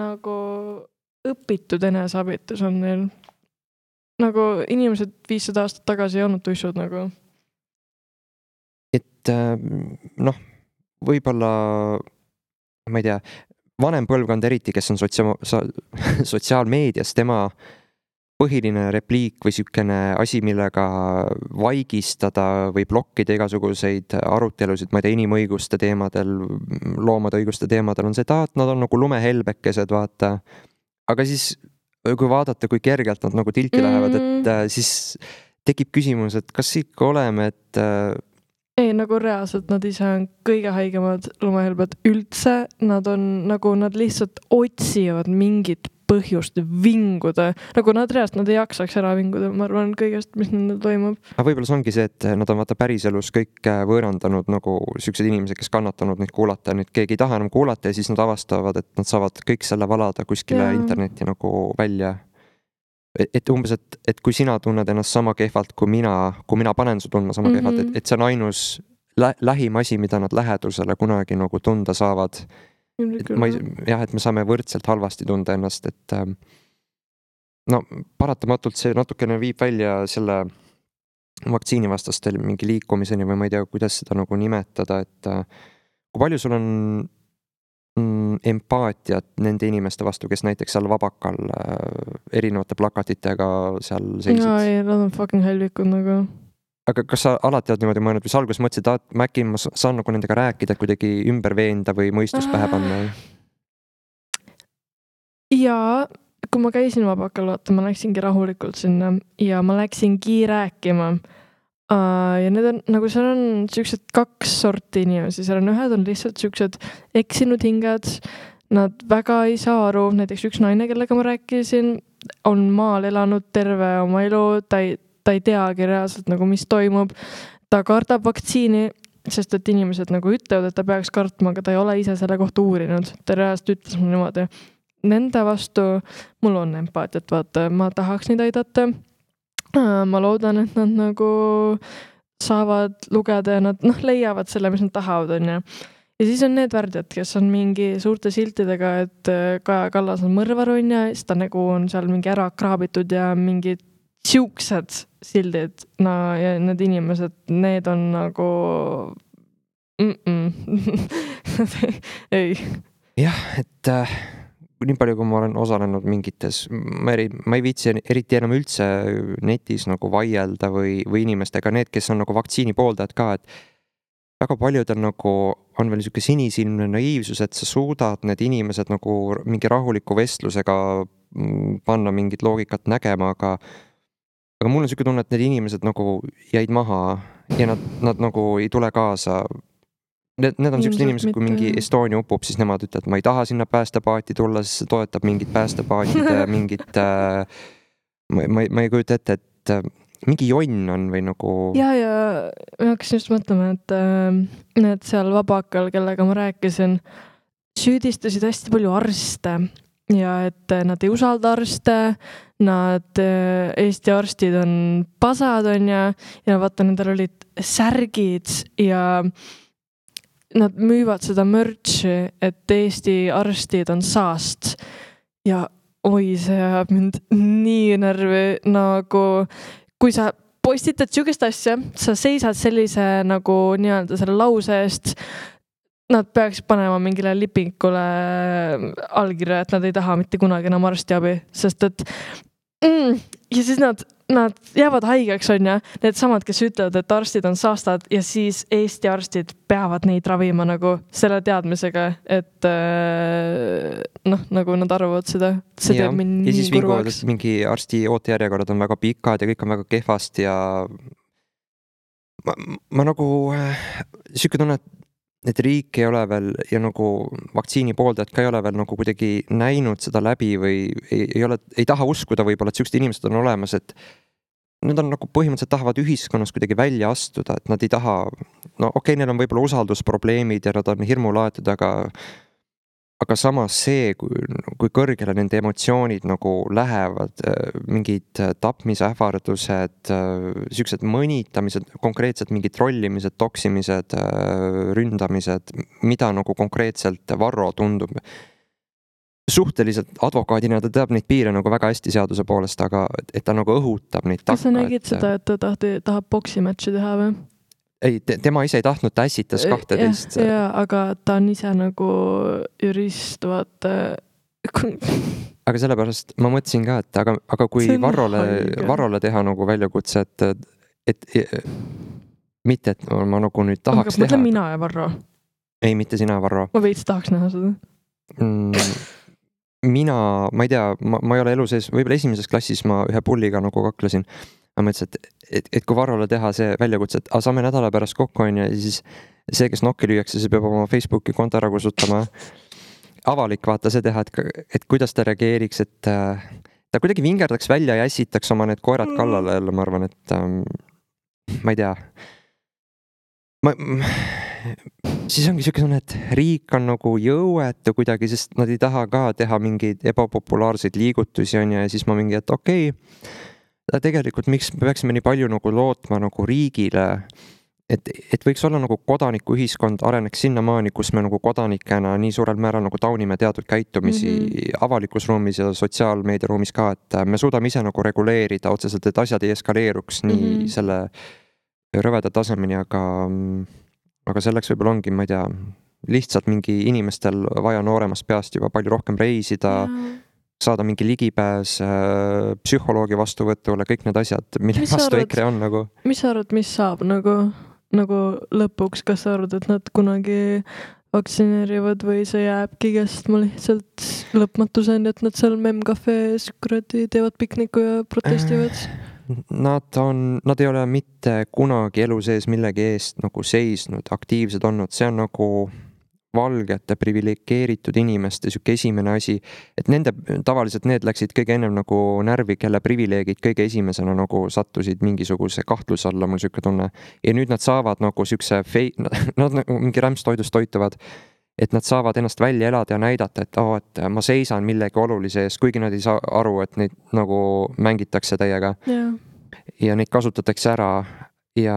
nagu õpitud eneseabitus on neil. Nagu inimesed viissada aastat tagasi ei olnud tuissud nagu. Et noh, võib-olla ma ei tea, vanem põlvkond eriti, kes on sotsiaal, sotsiaalmeedias, tema põhiline repliik või sükene asi, millega vaigistada või blokkida igasuguseid arutelusid, ma ei tea, inimõiguste teemadel, loomade õiguste teemadel on see, et nad on nagu lumehelbekesed, vaata. Aga siis, kui vaadata, kui kergelt nad nagu tilti mm. lähevad, et siis tekib küsimus, et kas ikka oleme, et ei, nagu reaalselt nad ise on kõige haigemad lumehelbed üldse, nad on nagu, nad lihtsalt otsivad mingit põhjust vinguda, nagu nad reaalselt, nad ei jaksaks ära vinguda, ma arvan kõigest, mis nendel toimub. Aga võib-olla see ongi see, et nad on vaata päriselus kõik võõrandanud nagu süksed inimesed, kes kannatanud neid kuulata, nüüd keegi ei taha enam kuulata ja siis nad avastavad, et nad saavad kõik selle valada kuskile ja. Internetti nagu välja. Et umbes, et, et kui sina tunned ennast sama kehvalt, kui mina, kui mina panen su tundma sama mm -hmm. kehvalt, et, et see on ainus lä lähim asi, mida nad lähedusele kunagi nagu tunda saavad. Et ma ei, jah, et me saame võrdselt halvasti tunda ennast, et no paratamatult see natukene viib välja selle vaktsiinivastastel mingi liikumiseni või ma ei tea, kuidas seda nagu nimetada, et kui palju sul on mm, empaatiat nende inimeste vastu, kes näiteks seal vabakal äh, erinevate plakatitega seal seisid? No ei, nad on fucking helvikud nagu. Aga kas sa alati oled niimoodi mõelnud või sa alguses mõtlesid, et äkki ma saan nagu nendega rääkida, kuidagi ümber veenda või mõistus pähe panna? ja kui ma käisin vabakal, vaata, ma läksingi rahulikult sinna ja ma läksingi rääkima. Uh, ja need on, nagu seal on siuksed kaks sorti inimesi, seal on ühed on lihtsalt siuksed eksinud hinged, nad väga ei saa aru, näiteks üks naine, kellega ma rääkisin, on maal elanud terve oma elu, ta ei, ta ei teagi reaalselt nagu, mis toimub, ta kardab vaktsiini, sest et inimesed nagu ütlevad, et ta peaks kartma, aga ta ei ole ise selle kohta uurinud, ta reaalselt ütles mulle niimoodi. Nende vastu mul on empaatiat, vaata, ma tahaks neid aidata. Ma loodan, et nad nagu saavad lugeda ja nad noh, leiavad selle, mis nad tahavad, on ja. Ja siis on need värdjad, kes on mingi suurte siltidega, et Kaja Kallas on mõrvar, on ja, siis ta nagu on seal mingi ära kraabitud ja mingid siuksed sildid. No ja need inimesed, need on nagu ei. Jah, et äh... nii palju, kui ma olen osalenud mingites, ma, eri, ma ei viitsi eriti enam üldse netis nagu vaielda või, või inimestega, need, kes on nagu vaktsiini pooldajad ka, et väga paljud on nagu, on veel niisugune sinisilmne naiivsus, et sa suudad need inimesed nagu mingi rahuliku vestlusega panna mingit loogikat nägema, aga aga mul on niisugune tunne, et need inimesed nagu jäid maha ja nad, nad nagu ei tule kaasa. Need, need on sellised inimesed, kui mingi Estonia upub, siis nemad ütlevad, et ma ei taha sinna päästepaati tulla, siis see toetab mingit päästepaatide, mingit äh, ma, ma, ma ei kujuta ette, et äh, mingi jonn on või nagu... Ja, ja ma hakkasin just mõtlema, et äh, need seal vabakal, kellega ma rääkisin, süüdistasid hästi palju arste ja et nad ei usalda arste, nad äh, Eesti arstid on pasad, on ja, ja vaata, nendel olid särgid ja nad müüvad seda mürtsi, et Eesti arstid on saast ja oi, see ajab mind nii närvi, nagu kui sa postitad siukest asja, sa seisad sellise nagu nii-öelda selle lause eest, nad peaks panema mingile lipingule allkirja, et nad ei taha mitte kunagi enam arstiabi, sest et mm, ja siis nad, nad jäävad haigeks, on ja need samad, kes ütlevad, et arstid on saastad ja siis Eesti arstid peavad neid ravima nagu selle teadmisega, et noh, nagu nad arvavad seda. See ja, teeb mind ja siis nii kurvaks. Mingi arsti ootejärjekorrad on väga pikad ja kõik on väga kehvast ja ma, ma nagu siuke tunne, et et riik ei ole veel ja nagu vaktsiini pooldajad ka ei ole veel nagu kuidagi näinud seda läbi või ei, ei ole, ei taha uskuda võib-olla, et siuksed inimesed on olemas, et nad on nagu põhimõtteliselt tahavad ühiskonnas kuidagi välja astuda, et nad ei taha, no okei okay,, neil on võib-olla usaldusprobleemid ja nad on hirmulaetud, aga aga samas see, kui, kui kõrgele nende emotsioonid nagu lähevad, mingid tapmisähvardused, siuksed mõnitamised, konkreetselt mingid trollimised, toksimised, ründamised, mida nagu konkreetselt Varro tundub. Suhteliselt advokaadina ta teab neid piire nagu väga hästi seaduse poolest, aga et ta nagu õhutab neid takka. Kas sa nägid et... seda, et ta tahti, tahab boksimatši teha või? Ei, tema ise ei tahtnud, ta ässitas kahteteist. Ja, ja, aga ta on ise nagu jurist, vaata. Aga sellepärast ma mõtlesin ka, et aga, aga kui Varrole, Varrole teha nagu väljakutse, et, et, et mitte, et ma nagu nüüd tahaks aga teha. Mõtle mina ja Varro. Ei, mitte sina, Varro. Ma veits tahaks näha seda. Mm, mina, ma ei tea, ma, ma ei ole elu sees, võib-olla esimeses klassis ma ühe pulliga nagu kaklesin. Ma mõtlesin, et, et, et kui Varrole teha see väljakutse, et a, saame nädala pärast kokku on ja siis see, kes nokki lüüakse, see peab oma Facebooki konto ära kusutama. Avalik vaata see teha, et, et kuidas ta reageeriks, et ta kuidagi vingerdaks välja ja ässitaks oma need koerad kallale jälle, ma arvan, et ähm, ma ei tea. Ma, siis ongi siuke tunne, et riik on nagu jõuetu kuidagi, sest nad ei taha ka teha mingeid ebapopulaarseid liigutusi on ja, ja siis ma mingi, et okei, okay, tegelikult miks me peaksime nii palju nagu lootma nagu riigile, et, et võiks olla nagu kodanikuühiskond areneks sinnamaani, kus me nagu kodanikena nii suurel määral nagu taunime teatud käitumisi mm-hmm. avalikus ruumis ja sotsiaalmeediaruumis ka, et me suudame ise nagu reguleerida otseselt, et asjad ei eskaleeruks nii mm-hmm. selle rõveda tasemeni, aga, aga selleks võib-olla ongi, ma ei tea, lihtsalt mingi inimestel vaja nooremast peast juba palju rohkem reisida mm. saada mingi ligipääs äh, psühholoogi vastuvõtule, kõik need asjad, mille mis vastu arvad, EKRE on nagu. Mis sa arvad, mis saab nagu, nagu lõpuks, kas sa arvad, et nad kunagi vaktsineerivad või see jääbki kestma lihtsalt lõpmatuseni, et nad seal memcafe's kuradi teevad pikniku ja protestivad? Nad on, nad ei ole mitte kunagi elu sees millegi eest nagu seisnud, aktiivsed olnud, see on nagu valgete privilegeeritud inimeste siuke esimene asi, et nende, tavaliselt need läksid kõige ennem nagu närvi, kelle privileegid kõige esimesena nagu sattusid mingisuguse kahtluse alla, mul siuke tunne. Ja nüüd nad saavad nagu siukse fei-, nad nagu mingi rämpstoidust toituvad, et nad saavad ennast välja elada ja näidata, et oh, et ma seisan millegi olulise ees, kuigi nad ei saa aru, et neid nagu mängitakse täiega. Yeah. Ja neid kasutatakse ära. Ja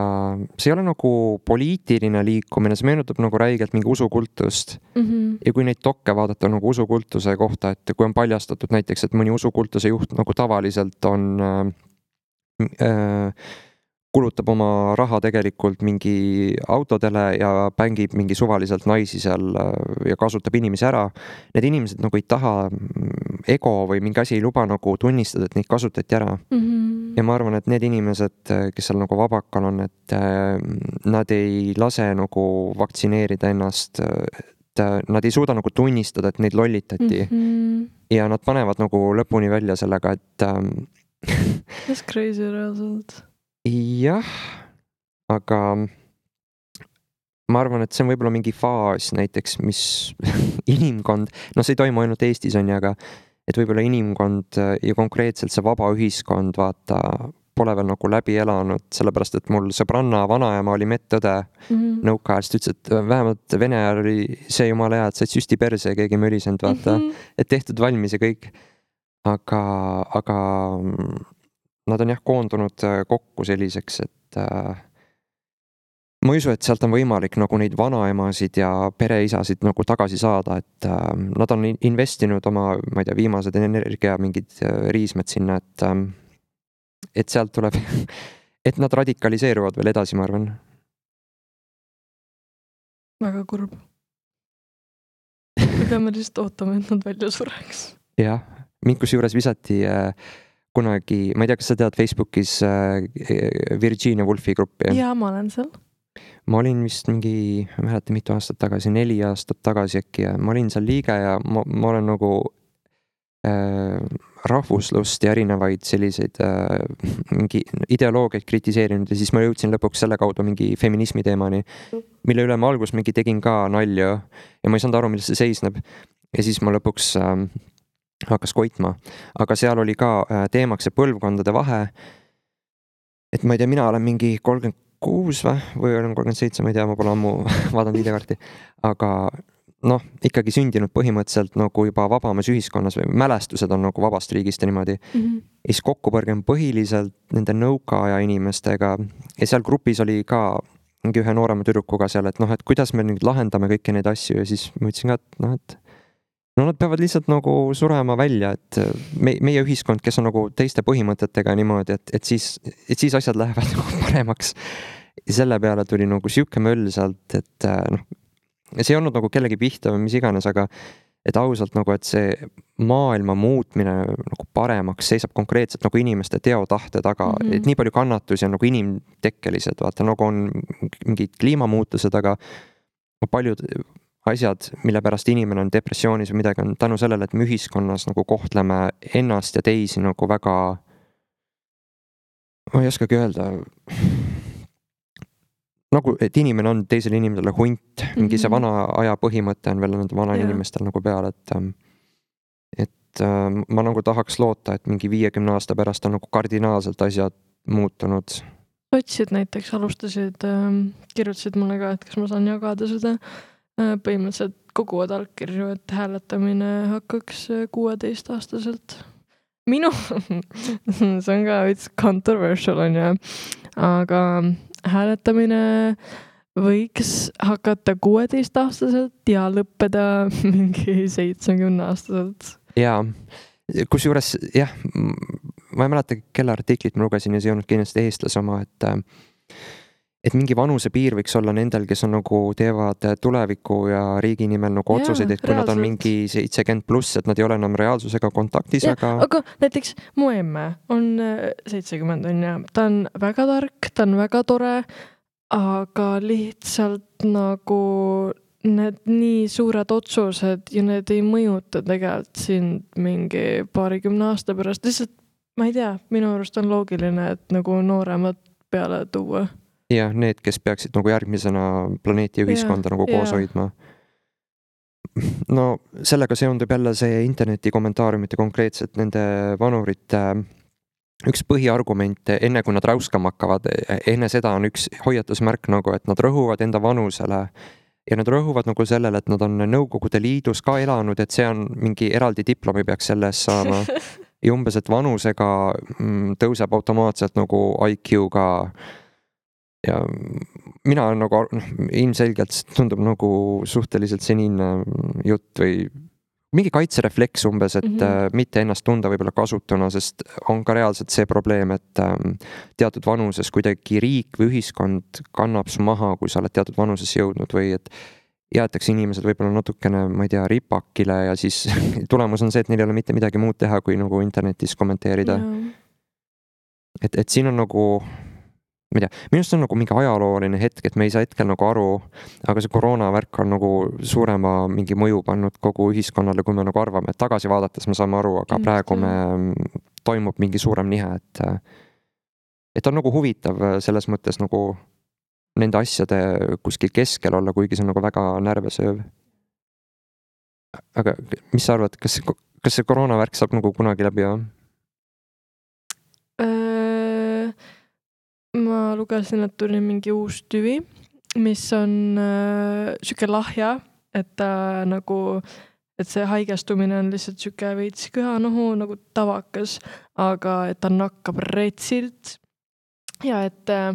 see ei ole nagu poliitiline liikumine, see meenutab nagu räigelt mingi usukultust. Mm-hmm. Ja kui neid dokke vaadata nagu usukultuse kohta, et kui on paljastatud näiteks, et mõni usukultuse juht nagu tavaliselt on äh, äh, kulutab oma raha tegelikult mingi autodele ja pängib mingi suvaliselt naisi seal ja kasutab inimesi ära. Need inimesed nagu ei taha, ego või mingi asi ei luba nagu tunnistada, et neid kasutati ära. Mm-hmm. Ja ma arvan, et need inimesed, kes seal nagu vabakal on, et nad ei lase nagu vaktsineerida ennast, et nad ei suuda nagu tunnistada, et neid lollitati. Mm-hmm. Ja nad panevad nagu lõpuni välja sellega, et That's crazy reaalselt. Jah, aga ma arvan, et see on võib-olla mingi faas näiteks, mis inimkond, no see ei toimu ainult Eestis on ja, aga et võib-olla inimkond ja konkreetselt see vaba ühiskond, vaata, pole veel nagu läbi elanud, sellepärast, et mul sõbranna vanaema oli medõde mm-hmm. nõukaajast, ütles, et vähemalt Vene ajal oli see jumala hea, et said süsti perse ja keegi mölisend, vaata, mm-hmm. et tehtud valmis ja kõik. Aga, aga nad on jah koondunud kokku selliseks, et äh, ma ei usu, et sealt on võimalik nagu neid vanaemasid ja pereisasid nagu tagasi saada, et äh, nad on investinud oma, ma ei tea, viimased energia mingid riismed sinna, et, äh, et sealt tuleb, et nad radikaliseeruvad veel edasi, ma arvan. Väga kurb. Me peame lihtsalt ootama, et nad välja sureks. Jah, mind kus juures visati äh, kunagi, ma ei tea, kas sa tead Facebookis Virginia Woolfi gruppi? Jaa, ma olen seal. Ma olin vist mingi, ma mäletan mitu aastat tagasi, neli aastat tagasi äkki ja ma olin seal liige ja ma, ma olen nagu äh, rahvuslust ja erinevaid selliseid äh, mingi ideoloogiaid kritiseerinud ja siis ma jõudsin lõpuks selle kaudu mingi feminismi teemani, mille üle ma algus mingi tegin ka nalju ja ma ei saanud aru, milles see seisneb. Ja siis ma lõpuks äh, hakkas koitma, aga seal oli ka teemaks see põlvkondade vahe, et ma ei tea, mina olen mingi kolmkümmend kuus või, või olen kolmkümmend seitse, ma ei tea, ma pole ammu vaadanud videokarti, aga noh, ikkagi sündinud põhimõtteliselt nagu juba vabamas ühiskonnas või mälestused on nagu vabast riigist ja niimoodi. Mm-hmm. Ja siis kokkupõrge on põhiliselt nende nõukaaja inimestega ja seal grupis oli ka mingi ühe noorema tüdrukuga seal, et noh, et kuidas me nüüd lahendame kõiki neid asju ja siis ma ütlesin ka, et noh, et no nad peavad lihtsalt nagu surema välja, et me, meie ühiskond, kes on nagu teiste põhimõtetega niimoodi, et, et, siis, et siis asjad lähevad nagu paremaks. Ja selle peale tuli nagu siuke möll sealt, et noh, see ei olnud nagu kellegi pihta või mis iganes, aga et ausalt nagu, et see maailma muutmine nagu paremaks seisab konkreetselt nagu inimeste teotahte taga, mm-hmm. et nii palju kannatusi on nagu inimtekkelised, vaata nagu on mingid kliimamuutused, aga paljud asjad, mille pärast inimene on depressioonis või midagi on tänu sellele, et me ühiskonnas nagu kohtleme ennast ja teisi nagu väga, ma ei oskagi öelda, nagu, et inimene on teisele inimesele hunt, mingi mm-hmm. see vana aja põhimõte on veel nende vana yeah. inimestel nagu peal, et et ma nagu tahaks loota, et mingi viiekümne aasta pärast on nagu kardinaalselt asjad muutunud. Sotsid näiteks alustasid, kirjutasid mulle ka, et kas ma saan jagada seda põhimõtteliselt koguvad allkirju, et hääletamine hakkaks kuueteist aastaselt. Minu, see on ka veits controversial on ju, aga hääletamine võiks hakata kuueteist aastaselt ja lõppeda mingi seitsmekümne aastaselt. Jaa, kus juures, jah, ma ei mäleta, kelle artiklit ma lugesin ja see ei olnud kindlasti eestlase oma, et et mingi vanuse piir võiks olla nendel, kes on nagu teevad tuleviku ja riigi nimel nagu otsuseid, et kui reaalselt. Nad on mingi seitsekümmend pluss, et nad ei ole enam reaalsusega kontaktis, ja, aga... aga näiteks mu emme on seitsekümmend on ja ta on väga tark, ta on väga tore, aga lihtsalt nagu need nii suured otsused ja need ei mõjuta tegelikult sind mingi paarikümne aasta pärast. Lihtsalt, ma ei tea, minu arust on loogiline, et nagu nooremad peale tuua. Ja need, kes peaksid nagu järgmisena planeeti ja ühiskonda ja, nagu koos ja. hoidma. No sellega seondub jälle see interneti kommentaariumite konkreetselt nende vanurite üks põhiargument, enne kui nad räuskama hakkavad, enne seda on üks hoiatusmärk nagu, et nad rõhuvad enda vanusele ja nad rõhuvad nagu sellele, et nad on Nõukogude Liidus ka elanud, et see on mingi eraldi diplomi peaks selle eest saama. Ja umbes, et vanusega tõuseb automaatselt nagu I Q-ga ja mina on nagu ilmselgelt tundub nagu suhteliselt seniilne jutt või mingi kaitserefleks umbes, et mm-hmm. mitte ennast tunda võib-olla kasutuna, sest on ka reaalselt see probleem, et teatud vanuses kuidagi riik või ühiskond kannab su maha, kui sa oled teatud vanuses jõudnud või et jäetakse inimesed võib-olla natukene, ma ei tea, ripakile ja siis tulemus on see, et neil ei ole mitte midagi muud teha, kui nagu internetis kommenteerida. Yeah. Et, et siin on nagu ma ei tea, minust on nagu mingi ajalooline hetk, et me ei saa hetkel nagu aru, aga see koroonavärk on nagu suurema mingi mõju pannud kogu ühiskonnale, kui me nagu arvame, et tagasi vaadates me saame aru, aga praegu me toimub mingi suurem nihe, et et on nagu huvitav selles mõttes nagu nende asjade kuskil keskel olla, kuigi see on nagu väga närvesööv. Aga mis sa arvad, kas, kas see koroonavärk saab nagu kunagi läbi, jah? Ma lugesin, et tuli mingi uus tüvi, mis on äh, süke lahja, et ta äh, nagu, et see haigestumine on lihtsalt süke veits köhanohu nagu tavakas, aga et ta nakkab retsilt ja et äh,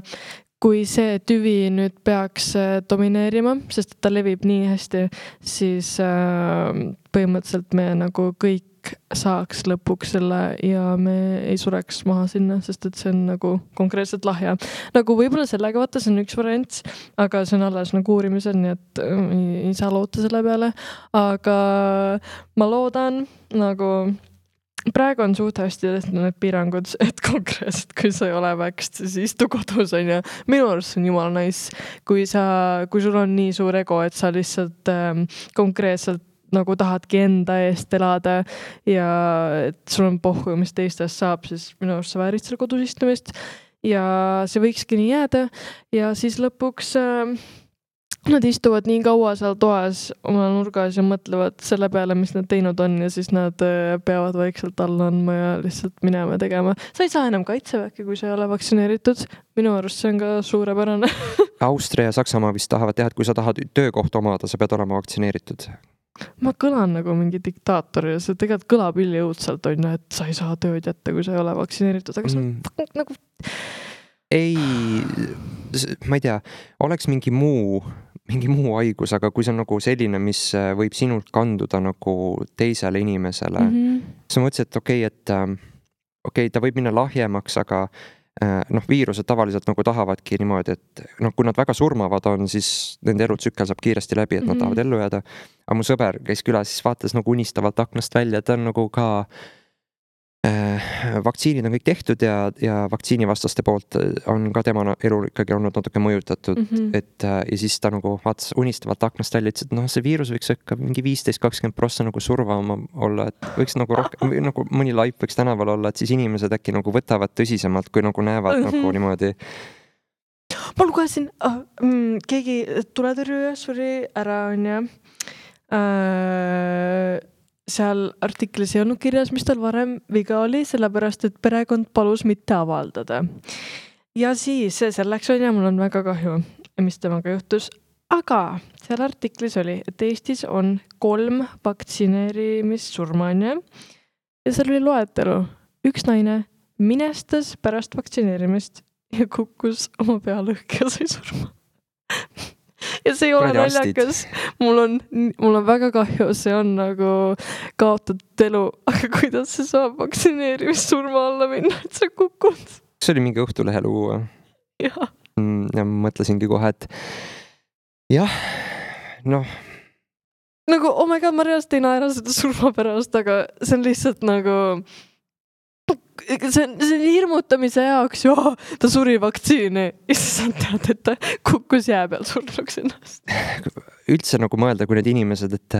kui see tüvi nüüd peaks äh, domineerima, sest ta levib nii hästi, siis äh, põhimõtteliselt me nagu kõik saaks lõpuks selle ja me ei sureks maha sinna, sest et see on nagu konkreetselt lahja. Nagu võib-olla sellega vaata, see on üks variant, aga see on alles nagu uurimisel, nii et ei, ei saa loota selle peale. Aga ma loodan, nagu praegu on suht hästi tehtud need piirangud, et konkreetselt, kui sa ei ole väkst, siis istu kodus on ja minu arust on jumala nice, kui sa, kui sul on nii suur ego, et sa lihtsalt ähm, konkreetselt nagu tahadki enda eest elada ja et sul on pohhu, mis teistest saab, siis minu arust sa väärid selle kodus istumist ja see võikski nii jääda ja siis lõpuks äh, nad istuvad nii kaua seal toas oma nurgas ja mõtlevad selle peale, mis nad teinud on ja siis nad äh, peavad vaikselt alla andma ja lihtsalt minema tegema. Sa ei saa enam kaitseväkke, kui sa ei ole vaktsineeritud. Minu arust see on ka suurepärane. Austria ja Saksamaa vist tahavad teha, et kui sa tahad töökohta omada, sa pead olema vaktsineeritud. Ma kõlan nagu mingi diktaator ja see tegelikult kõlab üliõudselt on, et sa ei saa tööd jätta, kui sa ei ole vaktsineeritud, aga see mm. nagu... Ei, ma ei tea, oleks mingi muu, mingi muu haigus, aga kui see on nagu selline, mis võib sinult kanduda nagu teisele inimesele, mm-hmm. siis ma mõtlesin, et okei, okay, et okei, okay, ta võib minna lahjemaks, aga noh, viirused tavaliselt nagu tahavadki niimoodi, et noh, kui nad väga surmavad on, siis nende elutsükkel saab kiiresti läbi, et nad mm-hmm. tahavad ellu jääda. Aga mu sõber käis külas, siis vaatas nagu unistavalt aknast välja, et ta on nagu ka äh, vaktsiinid on kõik tehtud ja, ja vaktsiinivastaste poolt on ka tema elu ikkagi olnud natuke mõjutatud, mm-hmm. et ja siis ta nagu vaatas unistavalt aknast välja, ütles, et noh, see viirus võiks ikka mingi viisteist kakskümmend prossa nagu survama olla, et võiks nagu rohkem, nagu mõni laip võiks tänaval olla, et siis inimesed äkki nagu võtavad tõsisemalt, kui nagu näevad mm-hmm. nagu niimoodi. Ma lugesin, oh, mm, keegi tuletõrjuja suri ära on ja äh, seal artiklis ei olnud kirjas, mis tal varem viga oli, sellepärast, et perekond palus mitte avaldada. Ja siis selleks on ja mul on väga kahju, mis temaga juhtus. Aga seal artiklis oli, et Eestis on kolm vaktsineerimissurmanja ja seal oli loetelu. Üks naine minestas pärast vaktsineerimist ja kukkus oma pealõhk ja sai surma. Ja see ei ole naljakas. Mul on, mul on väga kahju, see on nagu kaotatud elu, aga kuidas see saab vaktsineerimissurma alla minna, et sa kukud? See oli mingi Õhtulehe lugu. Ja. ja mõtlesingi kohe, et jah, noh. Nagu, oh my god, ma reaalselt ei naera seda surma pärast, aga see on lihtsalt nagu... See on, see on hirmutamise jaoks, joo, ta suri vaktsiini ja siis sa tead, et ta kukkus jää peal surnuks ennast. üldse nagu mõelda, kui need inimesed, et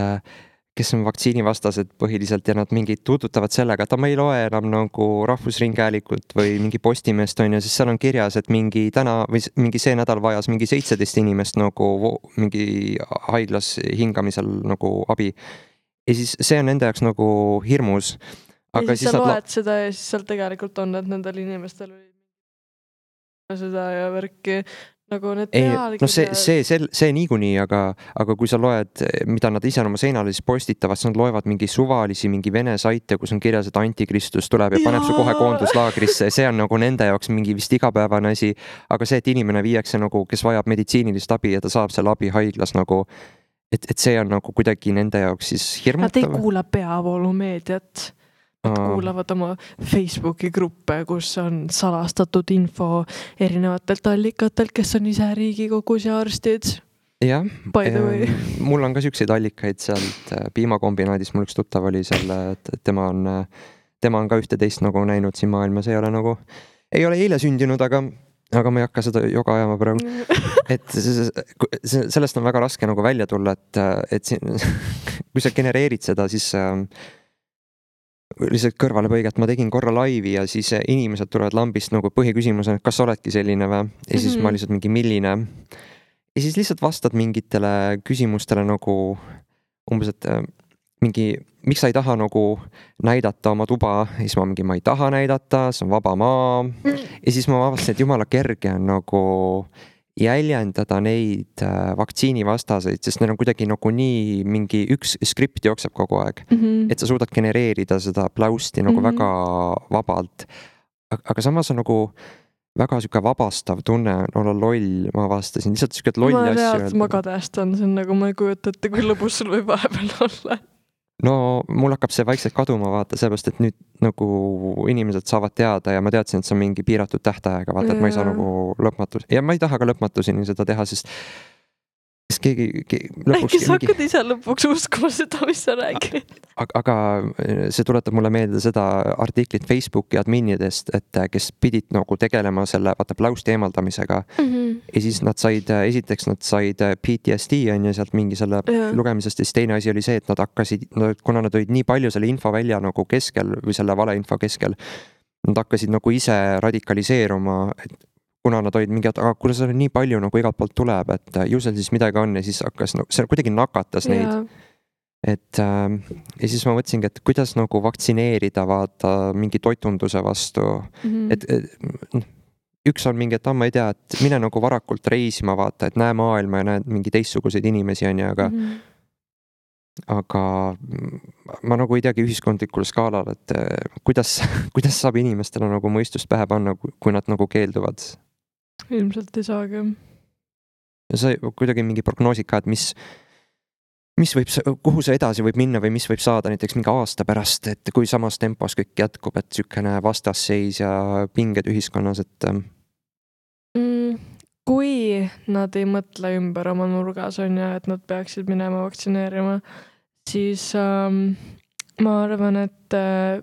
kes on vaktsiinivastased põhiliselt ja nad mingid tuututavad sellega, et ma ei loe enam nagu Rahvusringhäälingut või mingi Postimeest on ja siis seal on kirjas, et mingi täna või mingi see nädal vajas mingi seitseteist inimest nagu mingi haiglas hingamisel nagu abi. Ja siis see on nende jaoks nagu hirmus. Aga ja siis, siis sa loed la... seda ja siis seal tegelikult on, et nendel inimestel oli seda ja värki. Nagu need ei, no see, see, see, see niikuinii, aga, aga kui sa loed, mida nad ise oma seinale siis postitavad, siis nad loevad mingi suvalisi, mingi vene saite, kus on kirjas, et antikristus tuleb ja, ja paneb su kohe koonduslaagrisse. See on nagu nende jaoks mingi vist igapäevane asi. Aga see, et inimene viiakse nagu, kes vajab meditsiinilist abi ja ta saab selle abi haiglas nagu, et, et see on nagu kuidagi nende jaoks siis hirmutav. Nad ei kuula peavoolumeediat. Nad kuulavad oma Facebooki gruppe, kus on salastatud info erinevatelt allikatelt, kes on ise Riigikogus ja arstid. Jah, mul on ka siukseid allikaid sealt piimakombinaadis, mul üks tuttav oli selle, et tema on, tema on ka ühte-teist nagu näinud siin maailmas, ei ole nagu, ei ole eile sündinud, aga, aga ma ei hakka seda joga ajama praegu. Et sellest on väga raske nagu välja tulla, et, et siin, kui sa genereerid seda, siis lihtsalt kõrvalepõiget, ma tegin korra laivi ja siis inimesed tulevad lambist nagu põhiküsimus on, et kas sa oledki selline või? Ja siis mm-hmm. ma lihtsalt mingi milline. Ja siis lihtsalt vastad mingitele küsimustele nagu umbes, et mingi, miks sa ei taha nagu näidata oma tuba? Ja siis ma mingi, ma ei taha näidata, see on vaba maa. Ja siis ma avastasin, et jumala kerge on nagu jäljendada neid vaktsiinivastaseid, sest neil on kuidagi nagu nii mingi üks skript jookseb kogu aeg, mm-hmm. et sa suudad genereerida seda aplausti nagu mm-hmm. väga vabalt. Aga samas on nagu väga siuke vabastav tunne olla loll, ma avastasin lihtsalt siuke lolli asju. Ma reaalselt magadästan, see on nagu ma ei kujuta, et kui lõbus sul võib vahepeal olla. No mul hakkab see vaikselt kaduma vaata, sellepärast, et nüüd nagu inimesed saavad teada ja ma teadsin, et see on mingi piiratud tähtaega, vaata, et ma ei saa nagu lõpmatus ja ma ei taha ka lõpmatuseni seda teha, sest keegi, keegi lõpuks äkki sa hakkad mingi... ise lõpuks uskuma seda, mis sa räägid. Aga, aga see tuletab mulle meelde seda artiklit Facebooki adminidest, et kes pidid nagu tegelema selle vaata aplausti eemaldamisega mm-hmm. ja siis nad said, esiteks nad said P T S D on ju sealt mingi selle ja. lugemisest ja siis teine asi oli see, et nad hakkasid, kuna nad olid nii palju selle info välja nagu keskel või selle valeinfo keskel, nad hakkasid nagu ise radikaliseeruma, et kuna nad olid mingi, aga kuna seal nii palju nagu igalt poolt tuleb, et ju seal siis midagi on ja siis hakkas, no, see kuidagi nakatas neid. Yeah. Et äh, ja siis ma mõtlesingi, et kuidas nagu vaktsineerida vaata mingi toitunduse vastu. Mm-hmm. Et, et üks on mingi, et ah, ma ei tea, et mine nagu varakult reisima vaata, et näe maailma ja näed mingi teistsuguseid inimesi on ja, aga mm-hmm. aga ma nagu ei teagi ühiskondlikul skaalal, et kuidas, kuidas saab inimestele nagu mõistust pähe panna, kui nad nagu keelduvad. Ilmselt ei saagi. Ja see kuidagi mingi prognoosid ka, et mis, mis võib, kuhu see edasi võib minna või mis võib saada näiteks mingi aasta pärast, et kui samas tempos kõik jätkub, et sükene vastasseis ja pinged ühiskonnas, et mm, kui nad ei mõtle ümber oma nurgas on ja, et nad peaksid minema vaktsineerima, siis ähm, ma arvan, et äh,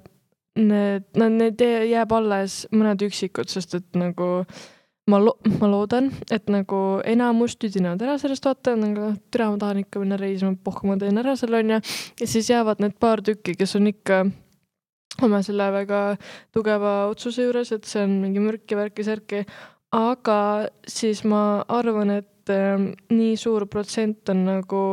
need, need jääb alles mõned üksikud, sest et nagu ma, lo- ma loodan, et nagu enamus tüdinevad ära sellest vaata, nagu türa ma tahan ikka minna reisima, pohku ma teen ära selle on ja, ja siis jäävad need paar tükki, kes on ikka oma selle väga tugeva otsuse juures, et see on mingi mürki, värki, särki, aga siis ma arvan, et äh, nii suur protsent on nagu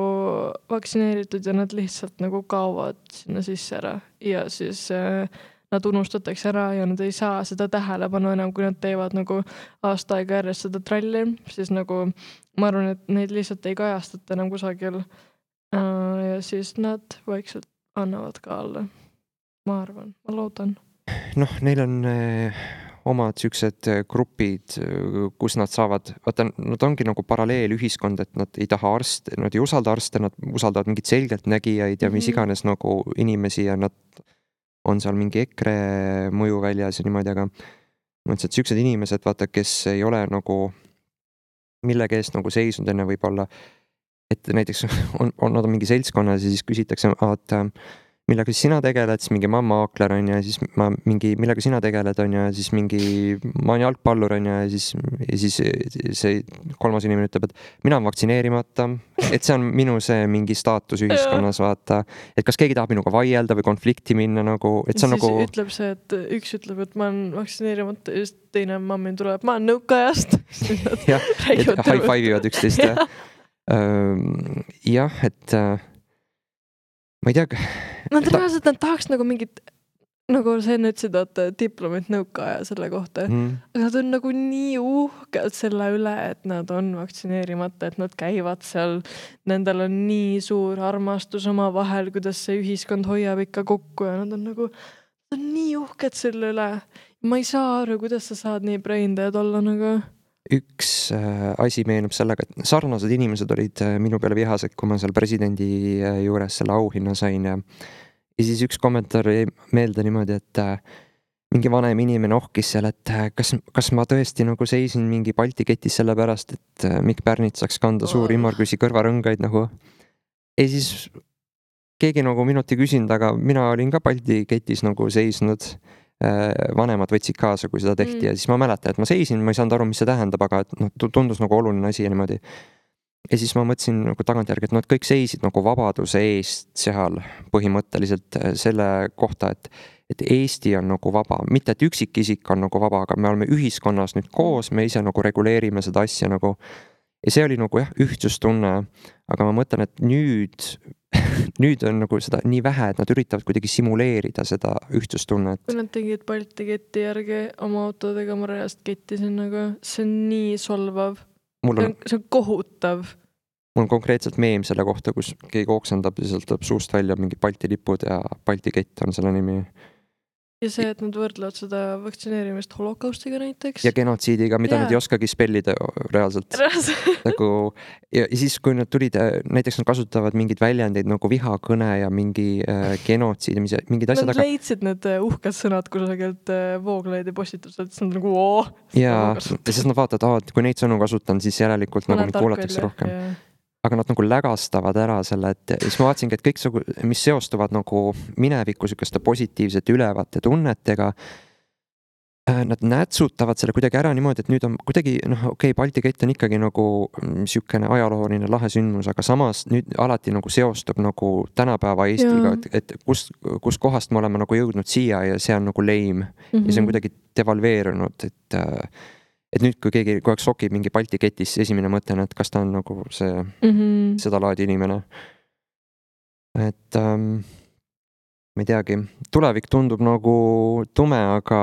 vaktsineeritud ja nad lihtsalt nagu kaovad sinna sisse ära ja siis äh, nad unustatakse ära ja nad ei saa seda tähelepanu enam, kui nad teevad nagu aasta aega järjest seda tralli, siis nagu ma arvan, et neid lihtsalt ei kajastata enam kusagil ja siis nad vaikselt annavad ka alla. Ma arvan, ma loodan. Noh, neil on eh, omad siuksed grupid, kus nad saavad, vaata, nad ongi nagu paralleelühiskond, et nad ei taha arste, nad ei usalda arste, nad usaldavad mingit selgeltnägijaid ja mis iganes nagu inimesi ja nad on seal mingi EKRE mõju väljas ja niimoodi, aga mõtlesin, et siuksed inimesed, vaata, kes ei ole nagu millegi eest nagu seisnud enne võib-olla, et näiteks on, on nad on mingi seltskonnas ja siis küsitakse, et millega siis sina tegeled, siis mingi mamma aakler on ja siis ma mingi, millega sina tegeled on ja siis mingi, ma olen jalgpallur on ja siis, ja siis see kolmas inimene ütleb, et mina olen vaktsineerimata, et see on minu see mingi staatus ühiskonnas, vaata, et kas keegi tahab minuga vaielda või konflikti minna nagu, et see on siis nagu. ütleb see, et üks ütleb, et ma olen vaktsineerimata ja siis teine mammi tuleb, ma olen nõukajast. jah, et high five ivad üksteist ja. jah, et ma ei tea. Nad reaalselt, nad tahaks nagu mingit, nagu sa enne ütlesid, et diplomit nõukaaja selle kohta, mm. aga nad on nagu nii uhked selle üle, et nad on vaktsineerimata, et nad käivad seal, nendel on nii suur armastus oma vahel, kuidas see ühiskond hoiab ikka kokku ja nad on nagu, nad on nii uhked selle üle. Ma ei saa aru, kuidas sa saad nii braindead olla nagu. Üks äh, asi meenub sellega, et sarnased inimesed olid äh, minu peale vihased, kui ma seal presidendi äh, juures selle auhinna sain ja, ja siis üks kommentaar jäi meelde niimoodi, et äh, mingi vanem inimene ohkis seal, et äh, kas, kas ma tõesti nagu seisin mingi Balti ketis selle pärast, et äh, Mikk Pärnit saaks kanda suuri immarküsi kõrvarõngaid nagu. Ja siis keegi nagu minut ei küsinud, aga mina olin ka Balti ketis nagu seisnud. Vanemad võtsid kaasa, kui seda tehti mm. ja siis ma mäletan, et ma seisin, ma ei saanud aru, mis see tähendab, aga et no, tundus nagu oluline asi ja niimoodi. Ja siis ma mõtlesin nagu tagantjärgi, et nad kõik seisid nagu vabaduse eest seal põhimõtteliselt selle kohta, et, et Eesti on nagu vaba, mitte et üksikisik on nagu vaba, aga me oleme ühiskonnas nüüd koos, me ise nagu reguleerime seda asja nagu. Ja see oli nagu jah, ühtsustunne, aga ma mõtlen, et nüüd nüüd on nagu seda nii vähe, et nad üritavad kuidagi simuleerida seda ühtsustunnet. Kui nad tegid Balti ketti järgi oma autodega, ma reast kettisin, nagu see on nii solvav. On... See, on, see on kohutav. Mul on konkreetselt meem selle kohta, kus keegi oksendab ja sealt tuleb suust välja mingi Balti lipud ja Balti kett on selle nimi. Ja see, et nad võrdlevad seda vaktsineerimist holokaustiga näiteks. Ja genotsiidiga, mida yeah. nad ei oskagi spellida reaalselt. nagu, ja siis, kui nad tulid, näiteks nad kasutavad mingeid väljendeid nagu vihakõne ja mingi äh, genotsiid, mingid asjad. Nad aga... leidsid need uhked sõnad kusagilt äh, Vooglaidi postituselt, siis nad nagu oo. Ja, ja siis nad vaatavad, et kui neid sõnu kasutan, siis järelikult ma nagu mind kuulatakse rohkem. Yeah. Aga nad nagu lägastavad ära selle, et siis ma vaatasingi, et kõik, mis seostuvad nagu mineviku sükeste positiivsete ülevate tunnetega, nad nätsutavad selle kuidagi ära niimoodi, et nüüd on kuidagi, noh, okei okay,, Balti kett on ikkagi nagu sükene ajalooline lahe sündmus, aga samas nüüd alati nagu seostub nagu tänapäeva Eestiga, et, et kus, kus kohast me oleme nagu jõudnud siia ja see on nagu leim mm-hmm. ja see on kuidagi devalveerunud, et et nüüd, kui keegi kogu aeg sokib mingi Balti ketis, esimene mõte on, et kas ta on nagu see mm-hmm. seda laadi inimene. Et ähm, ma ei teagi, tulevik tundub nagu tume, aga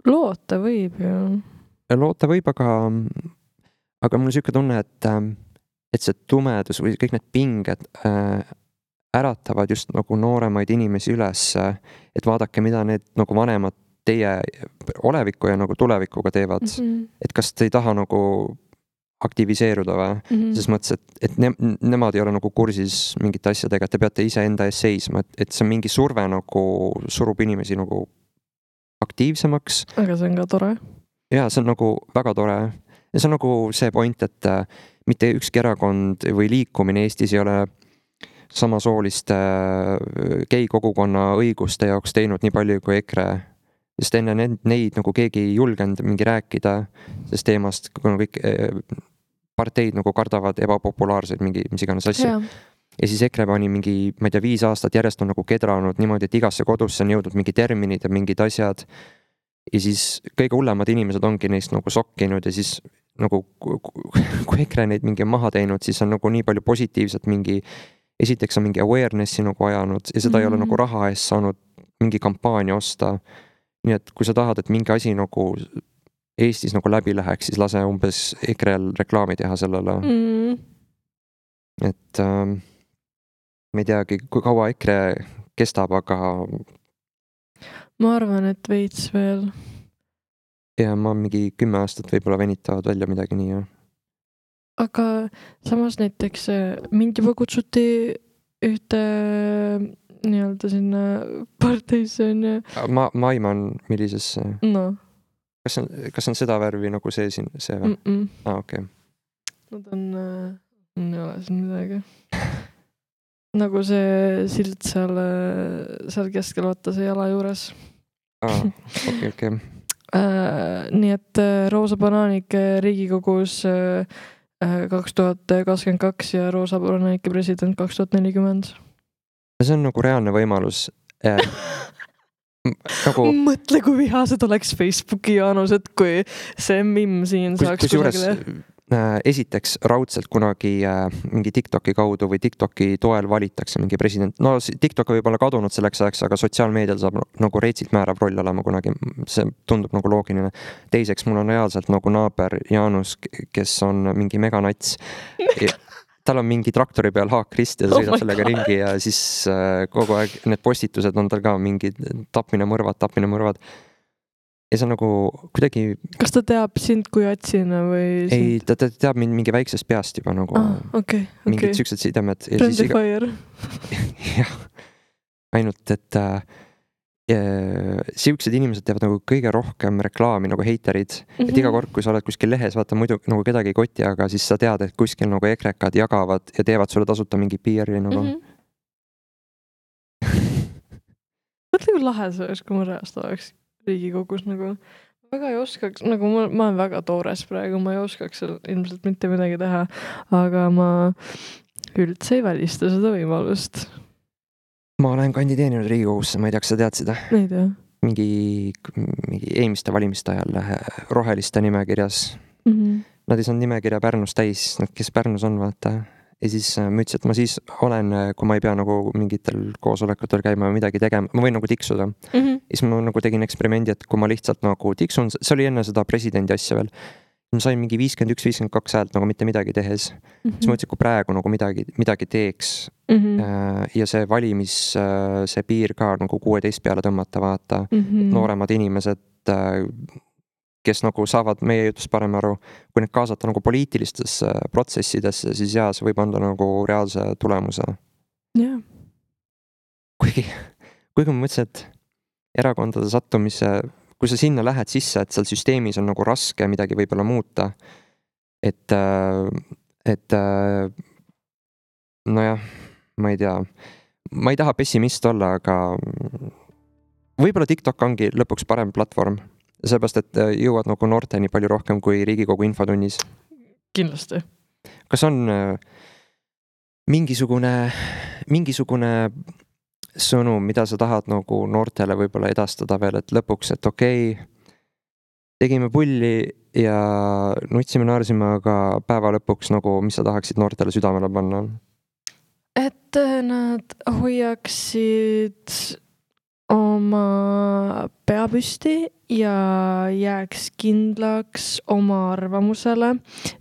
loota võib ju. Loota võib, aga aga mul on siuke tunne, et et see tumedus või kõik need pinged äh, äratavad just nagu nooremaid inimesi üles, et vaadake, mida need nagu vanemad teie oleviku ja nagu tulevikuga teevad, mm-hmm. et kas te ei taha nagu aktiviseeruda või, mm-hmm. ses mõttes, et, et ne, nemad ei ole nagu kursis mingite asjadega, et te peate ise enda ees seisma, et, et see on mingi surve nagu surub inimesi nagu aktiivsemaks. Aga see on ka tore. Ja see on nagu väga tore. Ja see on nagu see point, et mitte ükski erakond või liikumine Eestis ei ole samasooliste gei kogukonna õiguste jaoks teinud nii palju kui EKRE. Sest enne neid, neid nagu keegi ei julgenud mingi rääkida sest teemast, kuna kõik parteid nagu kardavad ebapopulaarseid mingi mis iganes asja. Ja siis EKRE pani mingi, ma ei tea, viis aastat järjest on nagu kedranud niimoodi, et igasse kodusse on jõudnud mingi terminid ja mingid asjad. Ja siis kõige hullemad inimesed ongi neist nagu sokkinud ja siis nagu kui EKRE neid mingi maha teinud, siis on nagu nii palju positiivset mingi, esiteks on mingi awarenessi nagu ajanud ja seda mm-hmm. ei ole nagu raha eest saanud mingi kampaania osta. Nii et kui sa tahad, et mingi asi nagu Eestis nagu läbi läheks, siis lase umbes EKRE-l reklaami teha sellele. Mm. Et ähm, ma ei teagi, kui kaua EKRE kestab, aga ma arvan, et veits veel. Ja ma mingi kümme aastat võib-olla venitavad välja midagi nii. Ja. Aga samas näiteks mind juba kutsuti ühte nii-öelda sinna parteisse on ja... Ma, ma aiman millisesse? No. Kas on, kas on seda värvi nagu see siin, see või? Mm-mm. Ah, okei. Okay. Nad on, äh, ei ole siin midagi. nagu see sild seal, seal keskel vaata see jala juures. Aa, okei, okei. Nii et Roosa Bananike Riigikogus kaks tuhat kakskümmend kaks ja Roosa Bananike president kaks tuhat nelikümmend. See on nagu reaalne võimalus. Nagu... Mõtle, kui vihased oleks Facebooki Jaanused, kui see mimm siin kus, saaks kusjuures esiteks raudselt kunagi mingi TikToki kaudu või TikToki toel valitakse mingi president. No TikTok võib olla kadunud selleks ajaks, aga sotsiaalmeedial saab nagu reitsilt määrav roll olema kunagi. See tundub nagu loogiline. Teiseks, mul on reaalselt nagu naaber Jaanus, kes on mingi meganats. Tal on mingi traktori peal haakrist ja ta sõidab oh sellega God. Ringi ja siis kogu aeg need postitused on tal ka mingi tapmine mõrvad, tapmine mõrvad. Ja see on nagu kuidagi... Kas ta teab sind kui atsina või... Sind? Ei, ta, ta teab mind mingi väiksest peast juba nagu ah, okay, okay. mingid siuksed sidemed. Friendly iga... fire. jah, ainult, et äh, siuksed inimesed teevad nagu kõige rohkem reklaami nagu heiterid. Mm-hmm. Et iga kord, kui sa oled kuskil lehes, vaata muidu nagu kedagi ei koti, aga siis sa tead, et kuskil nagu ekrekad jagavad ja teevad sulle tasuta mingi piiri nagu. Mm-hmm. Mõtle, kui lahe see oleks, kui ma reast oleks Riigikogus nagu. Ma väga ei oskaks, nagu ma, ma olen väga toores praegu, ma ei oskaks ilmselt mitte midagi teha, aga ma üldse ei välista seda võimalust. Ma olen kandideerinud Riigikogusse, ma ei tea, kas sa tead seda? Ei tea. Mingi, mingi eelmiste valimiste ajal roheliste nimekirjas. Mm-hmm. Nad ei saanud nimekirja Pärnus täis, nad kes Pärnus on, vaata. Ja siis ma ütlesin, et ma siis olen, kui ma ei pea nagu mingitel koosolekutel käima või midagi tegema, ma võin nagu tiksuda. Mm-hmm. Ja siis ma nagu tegin eksperimendi, et kui ma lihtsalt nagu tiksun, see oli enne seda presidendi asja veel. Ma sain mingi viiskümmend üks viiskümmend kaks häält nagu mitte midagi tehes. Mm-hmm. Siis ma ütlesin, kui praegu nagu midagi, midagi teeks mm-hmm. ja see valimis, see piir ka nagu kuueteist peale tõmmata, vaata. Mm-hmm. Nooremad inimesed, kes nagu saavad meie jutust parem aru, kui need kaasata nagu poliitilistesse protsessidesse, siis jaa, see võib anda nagu reaalse tulemuse. Yeah. Kuigi, kuigi ma mõtlesin, et erakondade sattumise, kui sa sinna lähed sisse, et seal süsteemis on nagu raske midagi võib-olla muuta, et, et nojah, ma ei tea, ma ei taha pessimist olla, aga võib-olla TikTok ongi lõpuks parem platvorm. Seepärast, et jõuad nagu noorteni palju rohkem kui Riigikogu infotunnis. Kindlasti. Kas on mingisugune, mingisugune sõnum, mida sa tahad nagu noortele võib-olla edastada veel, et lõpuks, et okei, tegime pulli ja nutsime, naarsime, aga päeva lõpuks nagu, mis sa tahaksid noortele südamele panna? Et nad hoiaksid oma pea püsti ja jääks kindlaks oma arvamusele,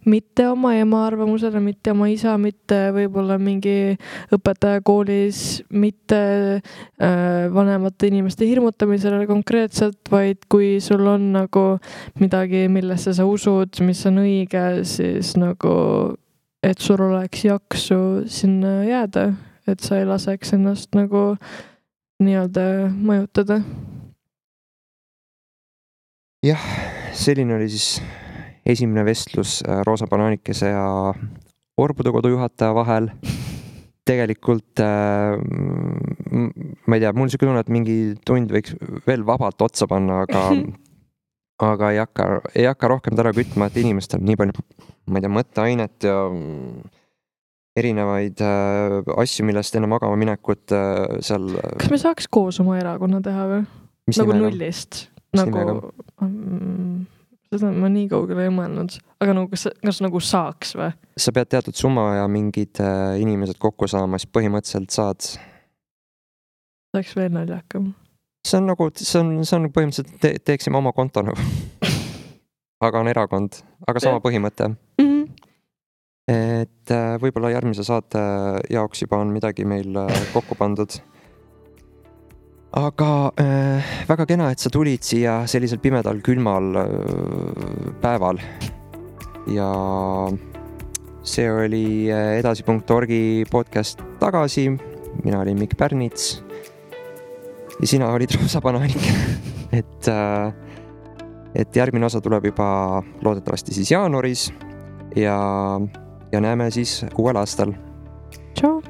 mitte oma ema arvamusele, mitte oma isa, mitte võib-olla mingi õpetaja koolis, mitte äh, vanemate inimeste hirmutamisele konkreetselt, vaid kui sul on nagu midagi, millesse sa usud, mis on õige, siis nagu, et sul oleks jaksu sinna jääda, et sa ei laseks ennast nagu nii-öelda mõjutada. Jah, selline oli siis esimene vestlus Roosa Bananikese ja Orbudekodu juhataja vahel. Tegelikult ma ei tea, mul on siuke tunne, et mingi tund võiks veel vabalt otsa panna, aga aga ei hakka, ei hakka rohkem täna kütma, et inimestel nii palju, ma ei tea, mõtteainet ja erinevaid äh, asju, millest enne magama minekut äh, seal... Kas me saaks koos oma erakonna teha või? Mis nagu nimega? Nullist. Nagu... Mm, seda ma nii kaugele ei mõelnud. Aga nagu, kas, kas nagu saaks või? Sa pead teatud summa ja mingid äh, inimesed kokku saama, siis põhimõtteliselt saad... Saaks veel naljakam. See on nagu, see on, see on põhimõtteliselt te, teeksime oma konto nagu. Aga on erakond, aga sama põhimõte. Mm-hmm. Et võib-olla järgmise saate jaoks juba on midagi meil kokku pandud. Aga äh, väga kena, et sa tulid siia sellisel pimedal, külmal äh, päeval. Ja see oli edasi punkt orgi podcast tagasi. Mina olin Mikk Pärnits. Ja sina olid Roosa Bananik. et, äh, et järgmine osa tuleb juba loodetavasti siis jaanuaris. Ja... Ja näeme siis uuel aastal. Tšau!